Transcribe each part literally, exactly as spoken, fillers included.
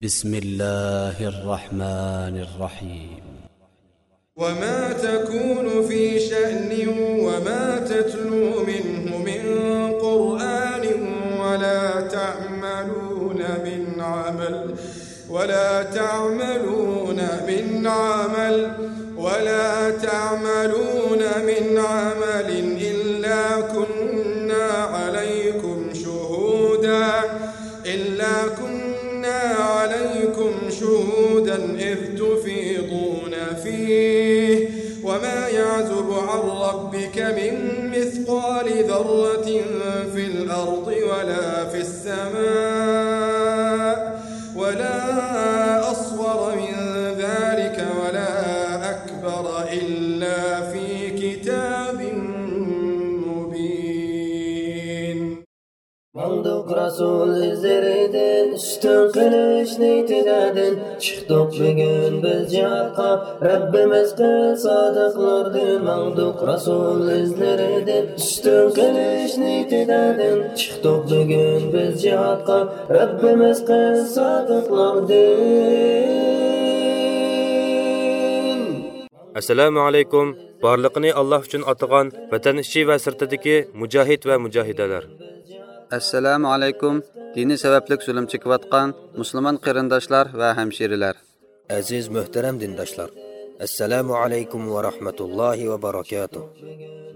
بسم الله الرحمن الرحيم. وما تكون في شأن وما تتلو منه من قرآن ولا تعملون من عمل ولا تعملون من عمل ولا تعملون من عمل إلا كنا عليكم شهودا إلا كنا عليكم شهودا إذ تفيضون فيه وما يعزب عن ربك من مثقال ذرة في الأرض ولا في السماء ولا أصغر من ذلك ولا أكبر إلا في كتاب مبين. ماڭدۇق رەسۇل ئىزلىرىدىن، ئۈستۈن قىلىش نىيىتىدىن، چىقتۇق بۈگۈن بىز جىھادقا، رەببىمىز قىل سادىقلاردىن. ماڭدۇق رەسۇل ئىزلىرىدىن، ئۈستۈن قىلىش نىيىتىدىن، چىقتۇق بۈگۈن بىز جىھادقا، رەببىمىز قىل سادىقلاردىن. ئەسسالامۇ ئەلەيكۇم، بارلىقىنى ئاللاھ ئۈچۈن ئاتىغان ۋەتەن ئىچى ۋە سىرتىدىكى مۇجاھىد ۋە مۇجاھىدەلەر. ئەسسالامۇ ئەلەيكۇم، دىنى سەۋەبلىك زۇلۇم چېكىۋاتقان مۇسۇلمان قېرىنداشلار ۋە ھەمشىرىلەر. ئەزىز مۆھتەرەم دىنداشلار، ئەسسالامۇ ئەلەيكۇم ۋە رەھمەتۇللاھى ۋە بەرەكاتۇھ.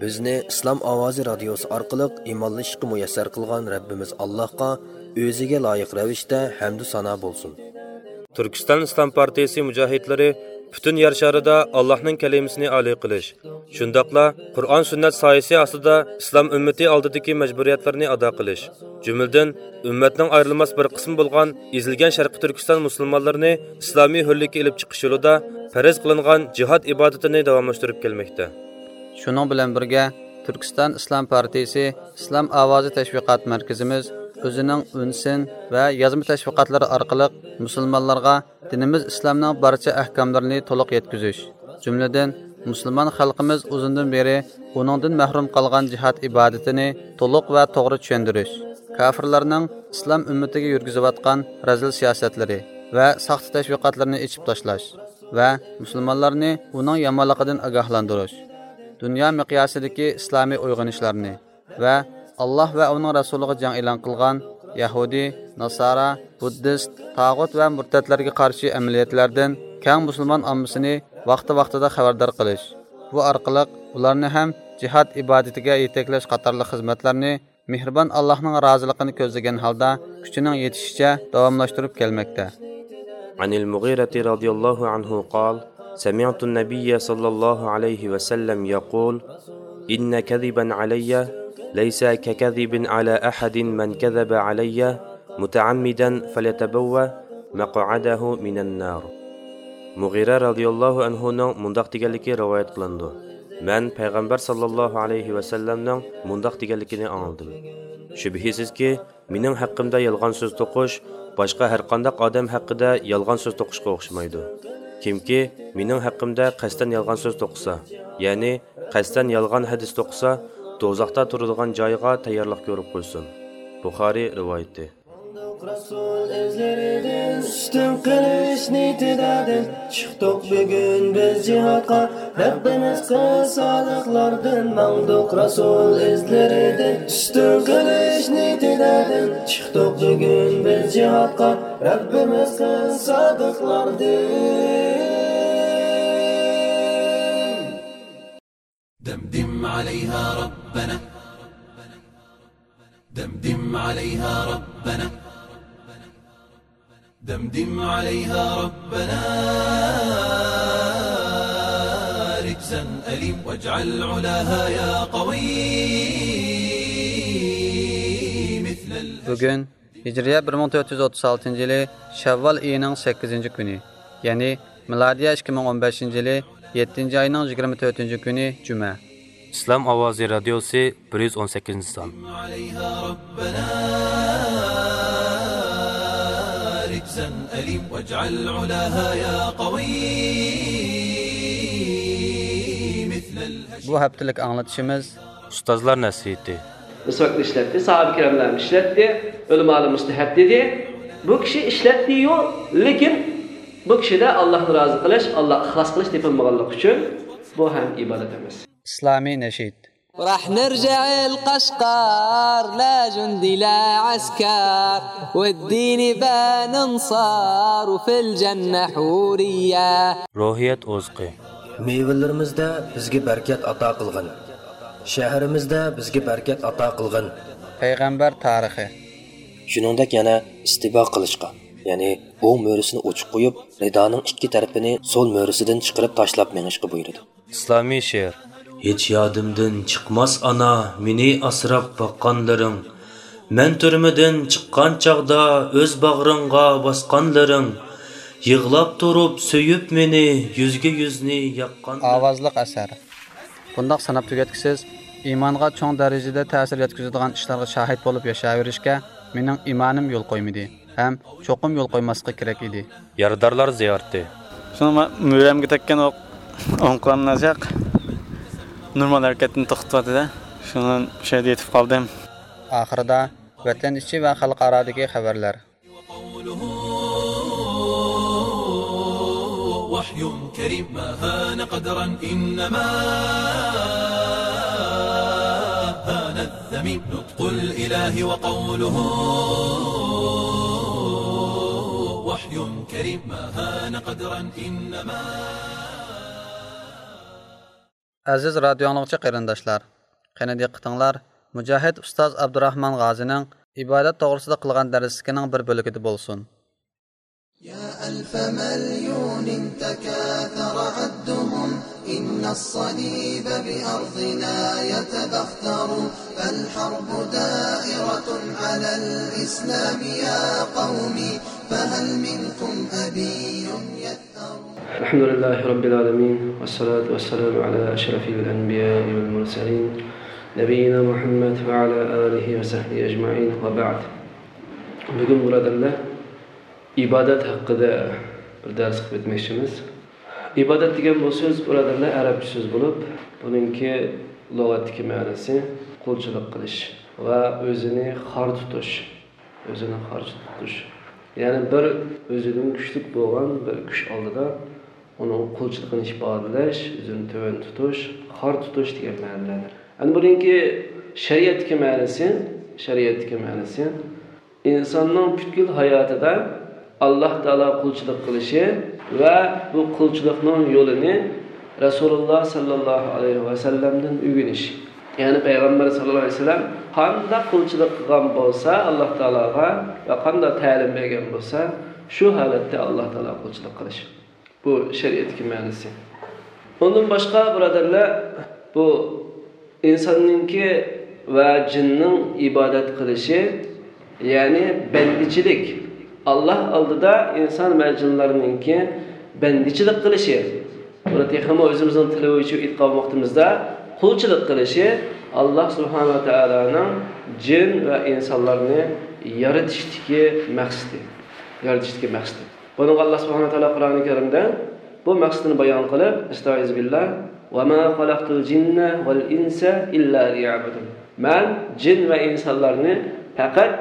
بىزنى ئىسلام ئاۋازى رادىيوسى ئارقىلىق ئىمانلىشىشقا مۇيەسسەر قىلغان رەببىمىز ئاللاھقا ئۆزىگە لايىق رەۋىشتە ھەمدۇ سانا بولسۇن. تۈركىستان ئىسلام پارتىيىسى مۇجاھىدلىرى پۈتۈن يەر شارىدا ئاللاھنىڭ كەلىمىسىنى ئالىي قىلىش، شۇنداقلا قۇرئان سۈننەت سايىسى ئاستىدا ئىسلام ئۈممىتى ئالدىدىكى مەجبۇرىيەتلىرىنى ئادا قىلىش، جۈملىدىن ئۈممەتنىڭ ئايرىلماس بىر قىسمى بولغان ئېزىلگەن شەرقىي تۈركىستان مۇسۇلمانلىرىنى ئىسلامىي ھۆرلۈككە ئېلىپ چىقىش يولىدا پەرز قىلىنغان جىھاد ئىبادىتىنى داۋاملاشتۇرۇپ كەلمەكتە. شۇنىڭ بىلەن بىرگە، تۈركىستان ئىسلام پارتىيىسى ئىسلام ئاۋازى تەشۋىقات مەركىزىمىز ئۆزىنىڭ ئۈنسىن ۋە يازما تەشۋىقاتلىرى ئارقىلىق مۇسۇلمانلارغا دىنىمىز ئىسلامنىڭ بارچە ئەھكاملىرىنى تولۇق يەتكۈزۈش، جۈملىدىن مۇسۇلمان خەلقىمىز ئۇزۇندىن بېرى ئۇنىڭدىن مەھرۇم قالغان جىھاد ئىبادىتىنى تولۇق ۋە توغرا چۈشەندۈرۈش، كاپىرلارنىڭ ئىسلام ئۈممىتىگە يۈرگۈزۈۋاتقان رەزىل سىياسەتلىرى ۋە ساختا تەشۋىقاتلىرىنى ئېچىپ تاشلاش ۋە مۇسۇلمانلارنى ئۇنىڭ يامانلىقىدىن ئاگاھلاندۇرۇش، دۇنيا مىقياسىدىكى ئىسلامىي ئويغىنىشلارنى ۋە ئاللاھ ۋە ئۇنىڭ رەسۇلىغا جەڭ ئېلان قىلغان يەھۇدىي، ناسارا، بۇددىست، تاغۇت ۋە مۇرتەتلەرگە قارشى ئەمەلىيەتلەردىن كەڭ مۇسۇلمان ئاممىسىنى ۋاقتى-ۋاقتىدا خەۋەردار قىلىش، بۇ ئارقىلىق ئۇلارنى ھەم جىھاد ئىبادىتىگە يېتەكلەش قاتارلىق خىزمەتلەرنى مېھرىبان ئاللاھنىڭ رازىلىقىنى كۆزلىگەن ھالدا كۈچىنىڭ يېتىشىچە داۋاملاشتۇرۇپ كەلمەكتە. عن المغيرة رضي الله عنه قال: سمعت النبي صلى الله عليه وسلم يقول: إن كذبا علي ليس ككذب على أحد من كذب علي متعمدا فليتبوأ مقعده من النار. مۇغىرە رەزىياللاھۇ ئەنھۇنىڭ مۇنداق دېگەنلىكى رىۋايەت قىلىنىدۇ: مەن پەيغەمبەر ساللاللاھۇ ئەلەيھى ۋەسەللەمنىڭ مۇنداق دېگەنلىكىنى ئاڭلىدىم: شۈبھىسىزكى، مېنىڭ ھەققىمدە يالغان سۆز توقۇش باشقا ھەرقانداق ئادەم ھەققىدە يالغان سۆز توقۇشقا ئوخشىمايدۇ. كىمكى مېنىڭ ھەققىمدە قەستەن يالغان سۆز توقۇسا، يەنى قەستەن يالغان ھەدىس توقۇسا، دوزاختا تۇرىدىغان جايىغا تەييارلىق كۆرۈپ قويسۇن. بۇخارىي رىۋايىتى. رەسۇل ئىزلىرىدىن ئۈستۈن قىلىش نىيىتىدىن چىقتۇق بۈگۈن بىز جىھادقا. رەببىمىز قىل سادىقلاردىن ماڭدۇق رەسۇل ئىزلىرىدىن ئۈستۈن قىلىش نىيىتىدىن چىقتۇق بۈگۈن بىز جىھادقا. رەببىمىز قىل سادىقلاردىن. دمدم عليها ربنا، دمدم عليها ربنا، دمدم عليها ربنا رجزا أليم، واجعل علاها يا قوي مثل الأشم. بۈگۈن ھىجرىيە بىر مىڭ تۆت يۈز ئوتتۇز ئالتىنچى يىلى شەۋۋال ئېيىنىڭ سەككىزىنچى كۈنى، يەنى مىلادىيە ئىككى مىڭ ئون بەشىنچى يىلى يەتتىنچى ئاينىڭ يىگىرمە تۆتىنچى كۈنى جۈمە. ئىسلام ئاۋازى رادىيوسى بىر يۈز ئون سەككىزىنچى سان. بۇ ھەپتىلىك ئاڭلىتىشىمىز ئۇستازلار نەسىھىتى. مىسۋاكنى ئىشلەتتى، ساھابە كىراملارمۇ ئىشلەتتى، ئۆلىمالار مۇستەھەب دېدى. بۇ كىشى ئىشلەتتى-يۇ، لېكىن بۇ كىشىدە ئاللاھنى رازى قىلىش، ئاللاھقا ئىخلاس قىلىش تېپىلمىغانلىقى ئۈچۈن بۇ ھەم ئىبادەت ئەمەس. ئىسلامىي نەشىد. راح نرجع القشقر، لا جندي لا عسكر، والدين بان انصار، وفي الجنة حورية. روھىيەت ئوزۇقى. مېۋىلىرىمىزدە بىزگە بەرىكەت ئاتا قىلغىن. شەھىرىمىزدە بىزگە بەرىكەت ئاتا قىلغىن. پەيغەمبەر تارىخى. شۇنىڭدەك يەنە ئىستىبا قىلىشقا، يەنى ئوڭ مۈرىسىنى ئوچۇق قويۇپ، رىدانىڭ ئىككى تەرىپىنى سول مۈرىسىدىن چىقىرىپ تاشلاپ مېڭىشقا بۇيرۇدى. ئىسلامىي شېئىر. ھېچ يادىمدىن چىقماس ئانا، مېنى ئاسراپ باققانلىرىڭ. مەن تۈرمىدىن چىققان چاغدا ئۆز باغرىڭغا باسقانلىرىڭ. يىغلاپ تۇرۇپ سۆيۈپ مېنى، يۈزگە يۈزنى ياققان. ئاۋازلىق ئەسەر. بۇنداق ساناپ تۈگەتكۈسىز، ئىمانغا چوڭ دەرىجىدە تەسىر يەتكۈزىدىغان ئىشلارغا شاھىت بولۇپ ياشاۋېرىشكە مېنىڭ ئىمانىم يول قويمىدى ھەم چوقۇم يول قويماسلىقى كېرەك ئىدى. يارىدارلار زىيارىتى. شۇڭا مەن مۈرەمگە تەگكەن ئوق ئوڭ قولۇمنى ئازراق نورمال ھەرىكەتنى توختىتىۋاتىدۇ. شۇڭا شۇ يەردە يېتىپ قالدىم. ئاخىرىدا ۋەتەن ئىچى ۋە خەلقئارادىكى خەۋەرلەر. وحي كريم ما هان قدرا إنما هان الذميم. نطق الإله وقوله وحي كريم ما هان قدرا إنما. ئەزىز رادىيو ئاڭلىغۇچى قېرىنداشلار، قېنى دىققىتىڭلار مۇجاھىد ئۇستاز ئابدۇراخمان غازىنىڭ ئىبادەت توغرىسىدا قىلغان دەرسلىكىنىڭ بىر بۆلىكىدە بولسۇن. يا ألف مليون تكاثر عدهم، إن الصليب بأرضنا يتبختر، فالحرب دائرة على الإسلام يا قوم، فهل منكم أبي يثأر؟ الحمد لله رب العالمين، والصلاة والسلام على أشرف الأنبياء والمرسلين، نبينا محمد وعلى آله وصحبه أجمعين، وبعد. بۈگۈن، بۇرادەرلەر، ئىبادەت ھەققىدە بىر دەرس قىلىپ ئۆتمەكچىمىز. ئىبادەت دېگەن بۇ سۆز، بۇرادەرلەر، ئەرەبچە سۆز بولۇپ، بۇنىڭكى لۇغەتتىكى مەنىسى قۇلچىلىق قىلىش ۋە ئۆزىنى خار تۇتۇش. ئۆزىنى خار تۇتۇش. يەنى بىر ئۆزىدىن كۈچلۈك بولغان بىر كۈچ ئالدىدا ئۇنىڭ قۇلچىلىقىنى ئىپادىلەش، ئۆزىنى تۆۋەن تۇتۇش، خار تۇتۇش دېگەن مەنىلەردۇر. ئەمدى بۇنىڭكى شەرىئەتتىكى مەنىسى، شەرىئەتتىكى مەنىسى، ئىنساننىڭ پۈتكۈل ھاياتىدا ئاللاھ تائالاغا قۇلچىلىق قىلىشى ۋە بۇ قۇلچىلىقنىڭ يولىنى رەسۇلۇللاھ سەللەللاھۇ ئەلەيھى ۋەسەللەمدىن ئۆگىنىش. يەنى پەيغەمبەر سەللەللاھۇ ئەلەيھى ۋەسەللەم قانداق قۇلچىلىق قىلغان بولسا ئاللاھ تائالاغا ۋە قانداق تەلىم بەرگەن بولسا، شۇ ھالەتتە ئاللاھ تائالاغا قۇلچىلىق قىلىش. بۇ شەرىئەتتىكى مەنىسى. ئۇندىن باشقا، بۇرادەرلەر، بۇ ئىنساننىڭكى ۋە جىننىڭ ئىبادەت قىلىشى، يەنى بەندىچىلىك. ئاللاھ ئالدىدا ئىنسان ۋە جىنلارنىڭكى بەندىچىلىك قىلىشى. بۇنى تېخىمۇ ئۆزىمىزنىڭ تىلى بويىچە ئېيتقان ۋاقتىمىزدا، قۇلچىلىق قىلىشى ئاللاھ سۇبھانەھۇ ۋە تائالانىڭ جىن ۋە ئىنسانلارنى يارىتىشتىكى مەقسىتى. يارىتىشتىكى مەقسىتى. بۇنىڭغا ئاللاھ سۇبھانەھۇ ۋە تائالا قۇرئانى كەرىمدە بۇ مەقسىتىنى بايان قىلىپ، ئەستەئىزۇ بىللاھ، «وما خلقت الجن والإنس إلا ليعبدون.» مەن جىن ۋە ئىنسانلارنى پەقەت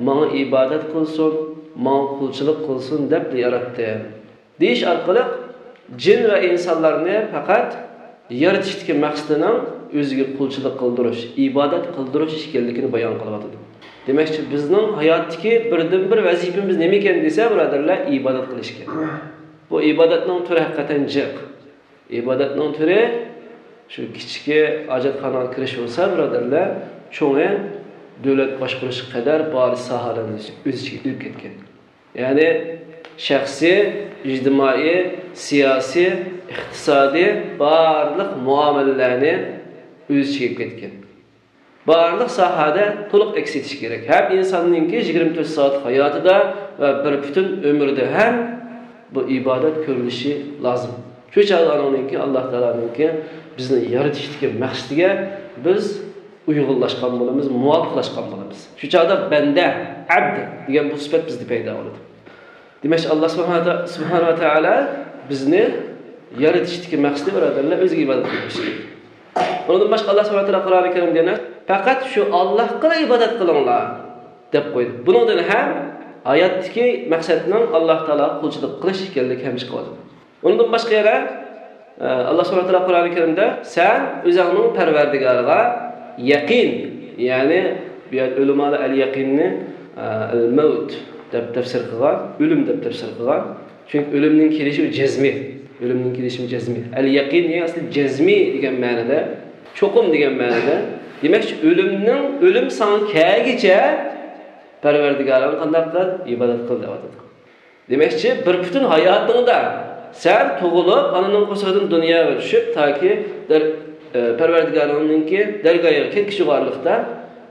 ماڭا ئىبادەت قىلسۇن، ماڭا قۇلچىلىق قىلسۇن دەپلا ياراتتىم. دېيىش ئارقىلىق جىن ۋە ئىنسانلارنى پەقەت يارىتىشتىكى مەقسىتىنىڭ ئۆزىگە قۇلچىلىق قىلدۇرۇش، ئىبادەت قىلدۇرۇش ئىكەنلىكىنى بايان قىلىۋاتىدۇ. دېمەكچى، بىزنىڭ ھاياتتىكى بىردىنبىر ۋەزىپىمىز نېمە ئىكەن دېسە، بۇرادەرلەر، ئىبادەت قىلىش ئىكەن. بۇ ئىبادەتنىڭ تۈرى ھەقىقەتەن جىق. ئىبادەتنىڭ تۈرى شۇ كىچىكى ھاجەتخانىغا كىرىش بولسا، بۇرادەرلەر، چوڭى دۆلەت باشقۇرۇشقا قەدەر بارلىق ساھەلەرنى ئۆز ئىچىگە ئېلىپ كەتكەن. يەنى شەخسىي، ئىجتىمائىي، سىياسىي، ئىقتىسادىي بارلىق مۇئامىلىلەرنى ئۆز ئىچىگە ئېلىپ كەتكەن. بارلىق ساھەدە تولۇق ئەكس ئېتىش كېرەك. ھەم ئىنساننىڭكى يىگىرمە تۆت سائەتلىك ھاياتىدا ۋە بىر پۈتۈن ئۆمرىدە ھەم بۇ ئىبادەت كۆرۈلۈشى لازىم. شۇ چاغدا ئانىڭكى، ئاللاھ تائالانىڭكى بىزنى يارىتىشتىكى مەقسىتىگە بىز ئۇيغۇنلاشقان بولىمىز، مۇۋاپىقلاشقان بولىمىز. شۇ چاغدا بەندە، ئەبد دېگەن بۇ سۈپەت بىزدە پەيدا بولىدۇ. دېمەك، ئاللاھ سۇبھانەھۇ ۋە تائالا بىزنى يارىتىشتىكى مەقسىتى، بۇرادەرلەر، ئۆزىگە ئىبادەت قىلىش. ئۇنىڭدىن باشقا ئاللاھ سۇبھانەھۇ ۋە تائالا قۇرئانى كەرىمدە يەنە، «پەقەت شۇ ئاللاھقىلا ئىبادەت قىلىڭلار» دەپ قويدى. بۇنىڭدىن ھەم ھاياتتىكى مەقسەتنىڭ ئاللا تائالاغا قۇلچىلىق قىلىش ئىكەنلىكى ھەم چىقىۋاتىدۇ. ئۇنىڭدىن باشقا يەنە، ئە، ئاللا سۇبھانەھۇ ۋە تائالا قۇرئانى كەرىمدە، سەن ئۆزۈڭنىڭ پەرۋەردىگارىغا يەقىن، يەنى بۇ يەردە ئۆلىمالار ئەل يەقىننى، ئە، ئەل مەۋت دەپ تەپسىر قىلغان، ئۆلۈم دەپ تەپسىر قىلغان. چۈنكى ئۆلۈمنىڭ كېلىشى ئۇ جەزمىي. ئۆلۈمنىڭ كېلىشى جەزمىي. ئەل يەقىن دېگەن ئەسلى جەزمىي دېگەن مەنىدە، چوقۇم دېگەن مەنىدە. دېمەكچى، ئۆلۈمنىڭ، ئۆلۈم ساڭا كەلگىچە پەرۋەردىگارىڭنى قانداق قىل؟ ئىبادەت قىل دەۋاتىدۇ. دېمەكچى، بىر پۈتۈن ھاياتىڭدا سەن تۇغۇلۇپ، ئانىنىڭ قورسىقىدىن دۇنياغا چۈشۈپ، تاكى دەر-، ئە، پەرۋەردىگارىڭنىڭكى دەرگاھىغا كەتكۈچە بارلىقتا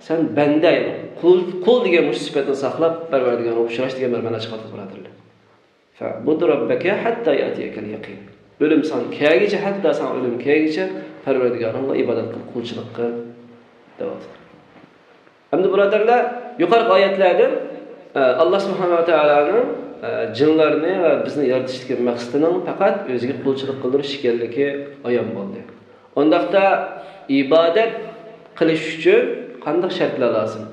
سەن بەندە، قۇل، قۇل دېگەن مۇشۇ سۈپەتنى ساقلاپ، پەرۋەردىگارىڭغا ئۇچراشتى دېگەن بىر مەنە چىقىۋاتىدۇ، بۇرادەرلەر. فاعبد ربك حتى يأتيك اليقين. ئۆلۈم ساڭا كەلگىچە، ھەتتا ساڭا ئۆلۈم كەلگىچە پەرۋەردىگارىڭغا ئىبادەت قىل، قۇلچىلىق قىل، دەۋاتىدۇ. ئەمدى بۇرادەرلەر، يۇقىرىقى ئايەتلەردىن، ئە، ئاللا سۇبھانەھۇ ۋە تائالانىڭ، ئە، جىنلارنى ۋە بىزنى يارىتىشتىكى مەقسىتىنىڭ پەقەت ئۆزىگە قۇلچىلىق قىلدۇرۇش ئىكەنلىكى ئايان بولدى. ئۇنداقتا ئىبادەت قىلىش ئۈچۈن قانداق شەرتلەر لازىم؟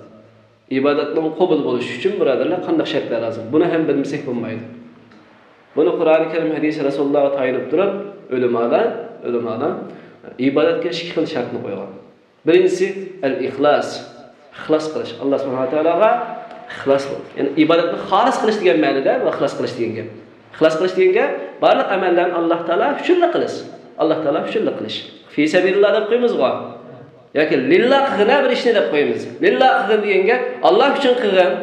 ئىبادەتنىڭ قوبۇل بولۇشى ئۈچۈن، بۇرادەرلەر، قانداق شەرتلەر لازىم؟ بۇنى ھەم بىلمىسەك بولمايدۇ. بۇنى قۇرئانى كەرىم، ھەدىسى رەسۇلۇللاھقا تايىنىپ تۇرۇپ، ئۆلىمالار، ئۆلىمالار ئىبادەتكە ئىككى خىل شەرتنى قويغان. بىرىنچىسى، ئەل ئىخلاس. ئىخلاس قىلىش. ئاللا سۇبھانەھۇ ۋە تائالاغا ئىخلاس قىلىش. يەنى ئىبادەتنى خالىس قىلىش دېگەن مەنىدە ۋە ئىخلاس قىلىش دېگەن گەپ. ئىخلاس قىلىش دېگەن گەپ، بارلىق ئەمەللەرنى ئاللا تائالا ئۈچۈنلا قىلىش. ئاللا تائالا ئۈچۈنلا قىلىش. في سبيل الله دەپ قويىمىزغۇ. ياكى لىللا قىلغىن ھە بىر ئىشنى دەپ قويىمىز. لىللا قىلغىن دېگەن گەپ، ئاللا ئۈچۈن قىلغىن.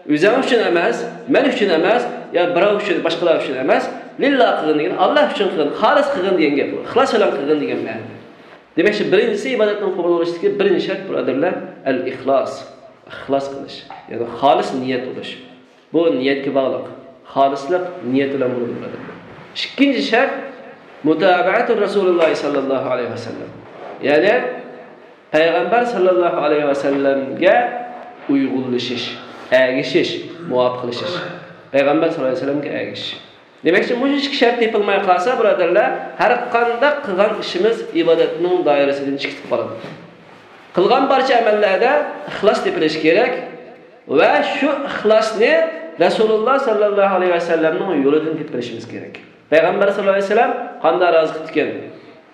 ئۆزۈڭ ئۈچۈن ئەمەس، مەن ئۈچۈن ئەمەس، يا بىراۋ ئۈچۈن، باشقىلار ئۈچۈن ئەمەس. لىللا قىلغىن دېگەن، ئاللا ئۈچۈن قىلغىن، خالىس قىلغىن دېگەن گەپ. ئىخلاس بىلەن قىلغىن دېگەن مەنىدە. دېمەكچى، بىرىنچىسى، ئىبادەتنىڭ قوبۇل بولۇشتىكى بىرىنچى شەرت، بۇرادەرلەر، ئەل ئىخلاس. ئىخلاس قىلىش. يەنى خالىس نىيەت بولۇش. بۇ نىيەتكە باغلىق. خالىسلىق نىيەت بىلەن بولىدۇ، بۇرادەرلەر. ئىككىنچى شەرت، مۇتابەئەتۇ رەسۇلىللاھى ساللاللاھۇ ئەلەيھى ۋەسەللەم. يەنى پەيغەمبەر ساللاللاھۇ ئەلەيھى ۋەسەللەمگە ئۇيغۇنلىشىش، ئەگىشىش، مۇۋاپىقلىشىش. پەيغەمبەر ساللاللاھۇ ئەلەيھى ۋەسەللەمگە ئەگىشىش. دېمەكچى، مۇشۇ ئىككى شەرت تېپىلماي قالسا، بۇرادەرلەر، ھەر قانداق قىلغان ئىشىمىز ئىبادەتنىڭ دائىرىسىدىن چىقىپ قالىدۇ. قىلغان بارچە ئەمەللەردە ئىخلاس تېپىلىشى كېرەك ۋە شۇ ئىخلاسنى رەسۇلۇللا ساللاللاھۇ ئەلەيھى ۋەسەللەمنىڭ يولىدىن تېپىپ بېرىشىمىز كېرەك. پەيغەمبەر ساللاللاھۇ ئەلەيھى ۋەسەللەم قانداق رازى قىپتىكەن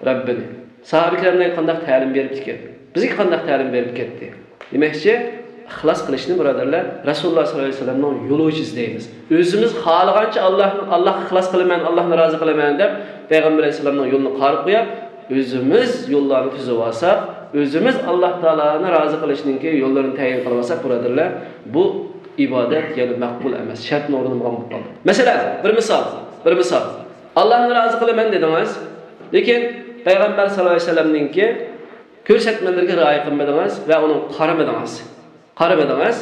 رەببىنى؟ ساھابە كىراملارغا قانداق تەلىم بېرىپتىكەن؟ بىزگە قانداق تەلىم بېرىپ كەتتى؟ دېمەكچى، ئىخلاس قىلىشنى، بۇرادەرلەر، رەسۇلۇللا ساللاللاھۇ ئەلەيھى ۋەسەللەمنىڭ يولى بويىچە ئىزدەيمىز. ئۆزىمىز خالىغانچە ئاللاھنى، ئاللاھقا ئىخلاس قىلىمەن، ئاللاھنى رازى قىلىمەن دەپ، پەيغەمبەر ئەلەيھىسسالامنىڭ يولىنى قارا قويۇپ، ئۆزىمىز يوللارنى تۈزۈۋالساق، ئۆزىمىز ئاللاھ تائالانى رازى قىلىشنىڭكى يوللىرىنى تەيىن قىلىۋالساق، بۇرادەرلەر، بۇ ئىبادەت يەنە مەقبۇل ئەمەس، شەرتنى ئورۇندىمىغان بولۇپ قالدى. مەسىلەن، بىر مىسال، بىر مىسال. ئاللاھنى رازى قىلىمەن دېدىڭىز، لېكىن پەيغەمبەر ساللاللاھۇ ئەلەيھى ۋەسەللەمنىڭكى كۆرسەتمىلىرىگە رىئايە قىلمىدىڭىز ۋە ئۇنىڭغا قارىمىدىڭىز. قارىمىدىڭىز.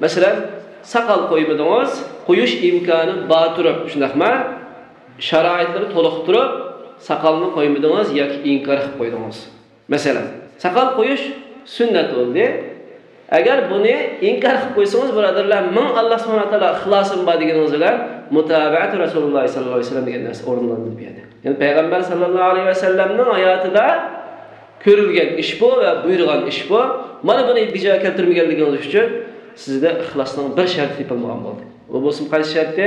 مەسىلەن، ساقال قويمىدىڭىز، قويۇش ئىمكانى بار تۇرۇپ، شۇنداقمۇ؟ شارائىتلىرى تولۇق تۇرۇپ، ساقالنى قويمىدىڭىز ياكى ئىنكار قىلىپ قويدىڭىز. مەسىلەن، ساقال قويۇش سۈننەت بولدى. ئەگەر بۇنى ئىنكار قىلىپ قويسىڭىز، بۇرادەرلەر، مىڭ ئاللا سۇبھانەھۇ ۋە تائالا ئىخلاسىم بار دېگىنىڭىز بىلەن مۇتابەئەتۇ رەسۇلۇللا ساللاللاھۇ ئەلەيھى ۋەسەللەم دېگەن نەرسە ئورۇنلىنىدۇ بۇ يەردە. يەنى پەيغەمبەر ساللاللاھۇ ئەلەيھى ۋەسەللەمنىڭ ھاياتىدا كۆرۈلگەن ئىش بۇ ۋە بۇيرۇغان ئىش بۇ. مانا بۇنى بىجا كەلتۈرمىگەنلىكىڭىز ئۈچۈن سىزدە ئىخلاسنىڭ بىر شەرتى تېپىلمىغان بولدى. ئۇ بولسىمۇ قايسى شەرتى؟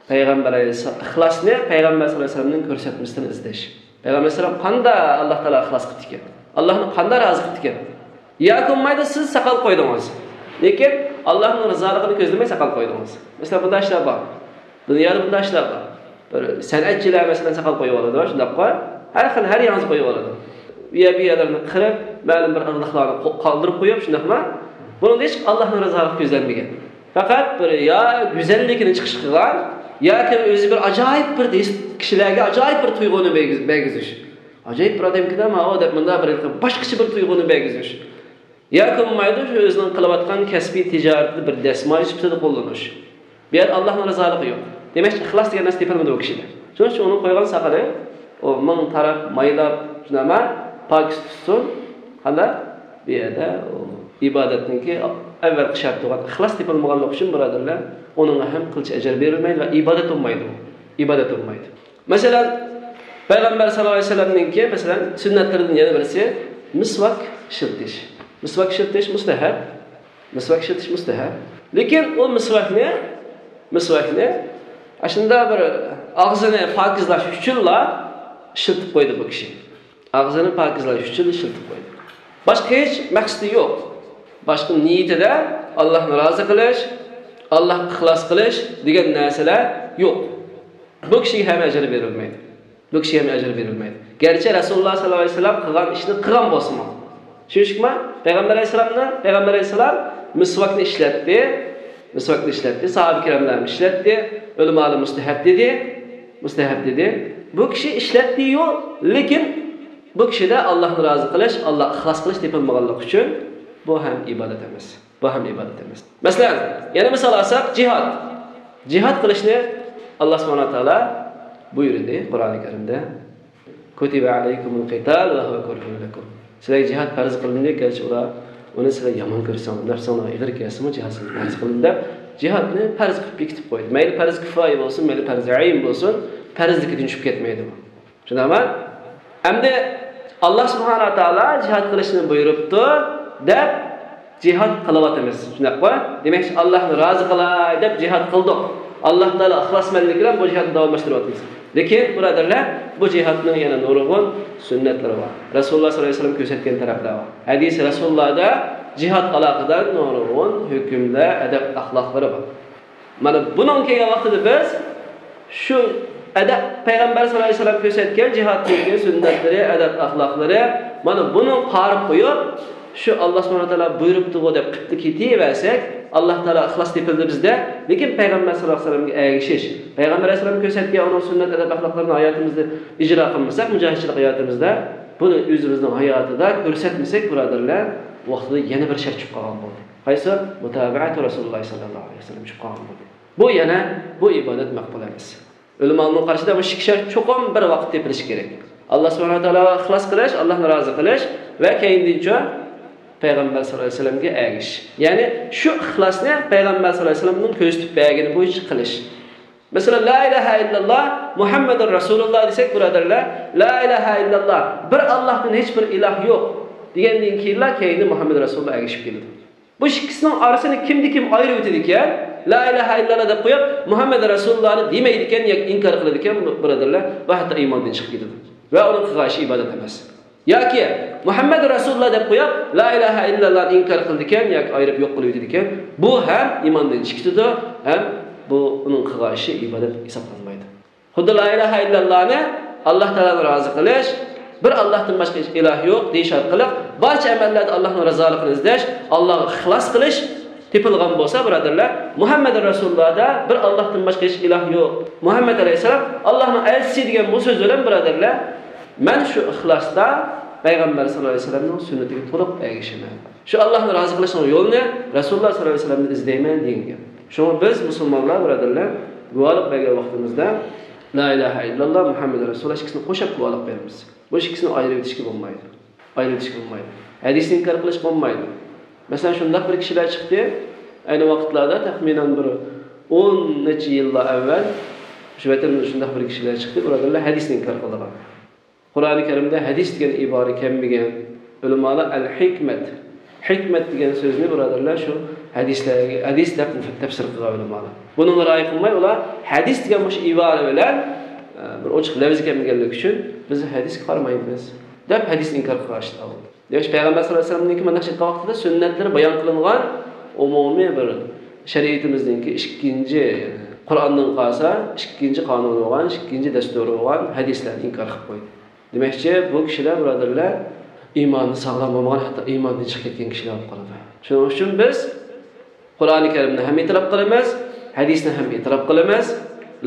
پەيغەمبەر ئەلەيھىسسالام، ئىخلاسنى پەيغەمبەر ساللاللاھۇ ئەلەيھى ۋەسەللەمنىڭ كۆرسەتمىسىدىن ئىزدەش. پەيغەمبەر ئەلەيھىسسالام قانداق ئاللا تائالا ئىخلاس قىپتىكەن؟ ئاللانى قانداق رازى قىپتىكەن؟ ياكى بولمايدۇ، سىز ساقال قويدىڭىز، لېكىن ئاللانىڭ رىزالىقىنى كۆزلىمەي ساقال قويدىڭىز. مەسىلەن، بۇنداق ئىشلار بار. دۇنيادا بۇنداق ئىشلار بار. بىر سەنئەتچىلەر، مەسىلەن، ساقال قويۇۋالىدۇ، شۇنداققۇ؟ ھەر خىل، ھەر يېڭىسى قويۇۋالىدۇ. ئۇ يەر، بۇ يەرلىرىنى قىرىپ، مەلۇم بىر ئىرقلىقلارنى قو-، قالدۇرۇپ قويۇپ، شۇنداقمۇ؟ بۇنىڭدا ھېچ ئاللانىڭ رىزالىقى كۆزلەنمىگەن. پەقەت بىر يا گۈزەللىكىنى چىقىش قىلغان، ياكى ئۆزى بىر ئاجايىپ بىر ھېس، كىشىلەرگە ئاجايىپ بىر تۇيغۇنى بەرگۈز-، بەرگۈزۈش. ئاجايىپ بىر ئادەمكەن-ە ماۋۇ دەپ، مۇنداق بىر باشقىچە بىر تۇيغۇنى بەرگۈزۈش. ياكى بولمايدۇ، شۇ ئۆزىنىڭ قىلىۋاتقان كەسپىي تىجارىتىدە بىر دەسمايە سۈپىتىدە قوللىنىش. بۇ يەردە ئاللانىڭ رىزالىقى يوق. دېمەك، ئىخلاس دېگەن نەرسە تېپىلمىدى بۇ كىشىدە. شۇنىڭ ئۈچۈن ئۇنىڭ قويغان ساقىلى، ئۇ مىڭ تاراپ، مايلاپ، شۇنداقما، پاكىز تۇتسۇن. قانداق؟ بۇ يەردە ئۇ ئىبادەتنىڭكى ئەۋۋەلقى شەرتى بولغان ئىخلاس تېپىلمىغانلىقى ئۈچۈن، بۇرادەرلەر، ئۇنىڭغا ھەم قىلچە ئەجىر بېرىلمەيدۇ ۋە ئىبادەت بولمايدۇ. ئىبادەت بولمايدۇ. مەسىلەن، پەيغەمبەر ساللاللاھۇ ئەلەيھى ۋەسەللەمنىڭكى، مەسىلەن، سۈننەتلىرىدىن يەنە بىرسى مىسۋاك ئىشلىتىش. مىسۋاك ئىشلىتىش مۇستەھەب. مىسۋاك ئىشلىتىش مۇستەھەب. لېكىن ئۇ مىسۋاكنى، مىسۋاكنى ئاشۇنداق بىر ئاغزىنى پاكىزلاش ئۈچۈنلا ئىشلىتىپ قويدى بۇ كىشى. ئاغزىنى پاكىزلاش ئۈچۈن ئىشلىتىپ قويدى. باشقا ھېچ مەقسىتى يوق. باشقا نىيىتىدە ئاللاھنى رازى قىلىش، ئاللاھقا ئىخلاس قىلىش دېگەن نەرسىلەر يوق. بۇ كىشىگە ھەم ئەجىر بېرىلمەيدۇ. بۇ كىشىگە ھەم ئەجىر بېرىلمەيدۇ. گەرچە رەسۇلۇللا سەللەللاھۇ ئەلەيھى ۋەسەللەم قىلغان ئىشنى قىلغان بولسىمۇ. چۈشەندىڭىزمۇ؟ پەيغەمبەر ئەلەيھىسسالامنى، پەيغەمبەر ئەلەيھىسسالام مىسۋاكنى ئىشلەتتى. مىسۋاكنى ئىشلەتتى. ساھابە كىراملار ئىشلەتتى. ئۆلىمالار مۇستەھەب دېدى. مۇستەھەب دېدى. بۇ كىشى ئىشلەتتى-يۇ، لېكىن بۇ كىشىدە ئاللاھنى رازى قىلىش، ئاللاھقا ئىخلاس قىلىش تېپىلمىغانلىقى ئۈچۈن بۇ ھەم ئىبادەت ئەمەس. بۇ ھەم ئىبادەت ئەمەس. مەسىلەن، يەنە مىسال ئالساق، جىھاد. جىھاد قىلىشنى ئاللا سۇبھانەھۇ ۋە تائالا بۇيرۇدى قۇرئانى كەرىمدە. كۇتىبە ئەلەيكۇمۇل قىتال ۋە ھۇۋە كۇرھۇن لەكۇم. سىلەرگە جىھاد پەرز قىلىندى، گەرچە ئۇلار ئۇنى سىلەر يامان كۆرسەڭلار، نەپسىڭلارغا ئېغىر كەلسىمۇ، جىھاد سىلەرگە پەرز قىلىندى دەپ، جىھادنى پەرز قىلىپ بېكىتىپ قويدى. مەيلى پەرز كىفايە بولسۇن، مەيلى پەرز ئەين بولسۇن، پەرزلىكىدىن چۈشۈپ كەتمەيدۇ بۇ. چۈشەندىڭىزمۇ؟ ئەمدى ئاللا سۇبھانەھۇ ۋە تائالا جىھاد قىلىشنى بۇيرۇپتۇ دەپ جىھاد قىلىۋاتىمىز. شۇنداققۇ؟ دېمەكچى، ئاللاھنى رازى قىلاي دەپ جىھاد قىلدۇق. ئاللا تائالا ئىخلاسمەنلىك بىلەن بۇ جىھادنى داۋاملاشتۇرۇۋاتىمىز. لېكىن، بۇرادەرلەر، بۇ جىھادنىڭ يەنە نۇرغۇن سۈننەتلىرى بار. رەسۇلۇللا سەللەللاھۇ ئەلەيھى ۋەسەللەم كۆرسەتكەن تەرەپلەر بار. ھەدىسى رەسۇلۇللادا جىھادقا ئالاقىدار نۇرغۇن ھۆكۈملەر، ئەدەپ، ئەخلاقلىرى بار. مانا بۇنىڭ كەلگەن ۋاقتىدا بىز شۇ ئەدەپ، پەيغەمبەر سەللەللاھۇ ئەلەيھى ۋەسەللەم كۆرسەتكەن جىھادتىكى سۈننەتلىرى، ئەدەپ، ئەخلاقلىرى، مانا بۇنى قارىپ قويۇپ، شۇ ئاللا سۇبھانەھۇ ۋە تائالا بۇيرۇپتىغۇ دەپ قىپتۇ كېتىۋەرسەك، ئاللا تائالا ئىخلاس تېپىلدى بىزدە. لېكىن پەيغەمبەر سەللەللاھۇ ئەلەيھى ۋەسەللەمگە ئەگىشىش، پەيغەمبەر ئەلەيھىسسالام كۆرسەتكەن ئۇنىڭ سۈننەت، ئەدەپ، ئەخلاقلىرىنى ھاياتىمىزدا ئىجرا قىلمىساق، مۇجاھىدچىلىك ھاياتىمىزدا بۇنى ئۆزىمىزنىڭ ھاياتىدا كۆرسەتمىسەك، بۇرادەرلەر، ۋاقتىدا يەنە بىر شەرت چۈشۈپ قالغان بولدى. قايسى؟ مۇتابەئەتۇ رەسۇلۇللاھ سەللەللاھۇ ئەلەيھى ۋەسەللەم چۈشۈپ قالغان بولدى. بۇ يەنە، بۇ ئىبادەت مەقبۇل ئەمەس. ئۆلىمانىڭ قارىشىدا بۇ ئىككى شەرت چوقۇم بىر ۋاقىت تېپىلىشى كېرەك. ئاللا سۇبھانەھۇ ۋە تائالاغا ئىخلاس قىلىش، ئاللانى رازى قىلىش ۋە كەينىدىنچۇ پەيغەمبەر سەللەللاھۇ ئەلەيھى ۋەسەللەمگە ئەگىشىش. يەنى شۇ ئىخلاسنى پەيغەمبەر سەللەللاھۇ ئەلەيھى ۋەسەللەمنىڭ كۆرسىتىپ بەرگىنى بويىچە قىلىش. مەسىلەن، لا ئىلاھە ئىللاللا مۇھەممەدۇر رەسۇلۇللا دېسەك، بۇرادەرلەر، لا ئىلاھە ئىللاللا، بىر ئاللاھتىن ھېچ بىر ئىلاھ يوق دېگەندىن كېيىنلا كەينىدىن مۇھەممەد رەسۇلۇللا ئەگىشىپ كېلىدۇ. بۇ ئىككىسىنىڭ ئارىسىنى كىمدە كىم ئايرىۋېتىدىكەن، لا ئىلاھە ئىللاللا دەپ قويۇپ، مۇھەممەد رەسۇلۇللانى دېمەيدىكەن ياكى ئىنكار قىلىدىكەن، بۇرادەرلەر، بۇ ھەتتا ئىماندىن چىقىپ كېتىدۇ. ۋە ئۇنىڭ قىلغان ئىشى ئىبادەت ئەمەس. ياكى مۇھەممەد رەسۇلۇللا دەپ قويۇپ، لا ئىلاھە ئىللاللانى ئىنكار قىلىدىكەن ياكى ئايرىپ يوق قىلىۋېتىدىكەن، بۇ ھەم ئىماندىن چىقىپ كېتىدۇ، ھەم بۇ ئۇنىڭ قىلغان ئىشى ئىبادەت ھېسابلانمايدۇ. خۇددى لا ئىلاھە ئىللاللانى، ئاللا تائالانى رازى قىلىش، بىر ئاللاھتىن باشقا ھېچ ئىلاھ يوق دېيىش ئارقىلىق بارچە ئەمەللەردە ئاللانىڭ رىزالىقىنى ئىزدەش، ئاللاغا ئىخلاس قىلىش تېپىلغان بولسا، بۇرادەرلەر، مۇھەممەد رەسۇلۇللادا بىر ئاللاھتىن باشقا ھېچ ئىلاھ يوق، مۇھەممەد ئەلەيھىسسالام ئاللاھنىڭ ئەلچىسى دېگەن بۇ سۆز بىلەن، بۇرادەرلەر، مەن شۇ ئىخلاستا پەيغەمبەر سەللەللاھۇ ئەلەيھى ۋەسەللەمنىڭ سۈننىتىگە تولۇق ئەگىشىمەن. شۇ ئاللاھنى رازى قىلىشنىڭ يولىنى رەسۇلۇللا سەللەللاھۇ ئەلەيھى ۋەسەللەمدىن ئىزدەيمەن دېگەن گەپ. شۇڭا بىز مۇسۇلمانلار، بۇرادەرلەر، گۇۋاھلىق بەرگەن ۋاقتىمىزدا لا ئىلاھە ئىللاللا مۇھەممەد رەسۇلۇللا ئىككىسىنى قوشاپ گۇۋاھلىق بېرىمىز. بۇ ئىككىسىنى ئايرىۋېتىشكە بولمايدۇ. ئايرىۋېتىشكە بولمايدۇ. ھەدىسنى ئىنكار قىلىشقا بولمايدۇ. مەسىلەن، شۇنداق بىر كىشىلەر چىقتى، ئەينى ۋاقىتلاردا تەخمىنەن بىر ئون نەچچە يىللار ئەۋۋەل شۇ ۋەتىنىمىزدە شۇنداق بىر كىشىلەر چىقتى، بۇرادەرلەر، ھەدىسنى ئىنكار قىلىدىغان. قۇرئانى كەرىمدە ھەدىس دېگەن ئىبارە كەلمىگەن، ئۆلىمالار ئەل ھېكمەت، ھېكمەت دېگەن سۆزنى، بۇرادەرلەر، شۇ ھەدىسلەرگە، ھەدىس دەپ تەپسىر قىلغان ئۆلىمالار. بۇنىڭغا رىئايە قىلماي، ئۇلار ھەدىس دېگەن مۇشۇ ئىبارە بىلەن، ئە، بىر ئوچۇق لەۋز كەلمىگەنلىكى ئۈچۈن، بىز ھەدىسكە قارىمايمىز دەپ، ھەدىسنى ئىنكار قىلغان ئىشلار بولدى. دېمەك، پەيغەمبەر سەللەللاھۇ ئەلەيھى ۋەسەللەمنىڭكى مۇنداق چىققان ۋاقتىدا سۈننەتلىرى بايان قىلىنغان ئومۇمىي بىر شەرىئىتىمىزنىڭكى ئىككىنچى، قۇرئاندىن قالسا ئىككىنچى قانۇنى بولغان، ئىككىنچى دەستۇرى بولغان ھەدىسلەرنى ئىنكار قىلىپ قويدى. دېمەكچى، بۇ كىشىلەر، بۇرادەرلەر، ئىمانى ساغلام بولمىغان، ھەتتا ئىماندىن چىقىپ كەتكەن كىشىلەر بولۇپ قالىدۇ. شۇنىڭ ئۈچۈن بىز قۇرئانى كەرىمنى ھەم ئېتىراپ قىلىمىز، ھەدىسنى ھەم ئېتىراپ قىلىمىز،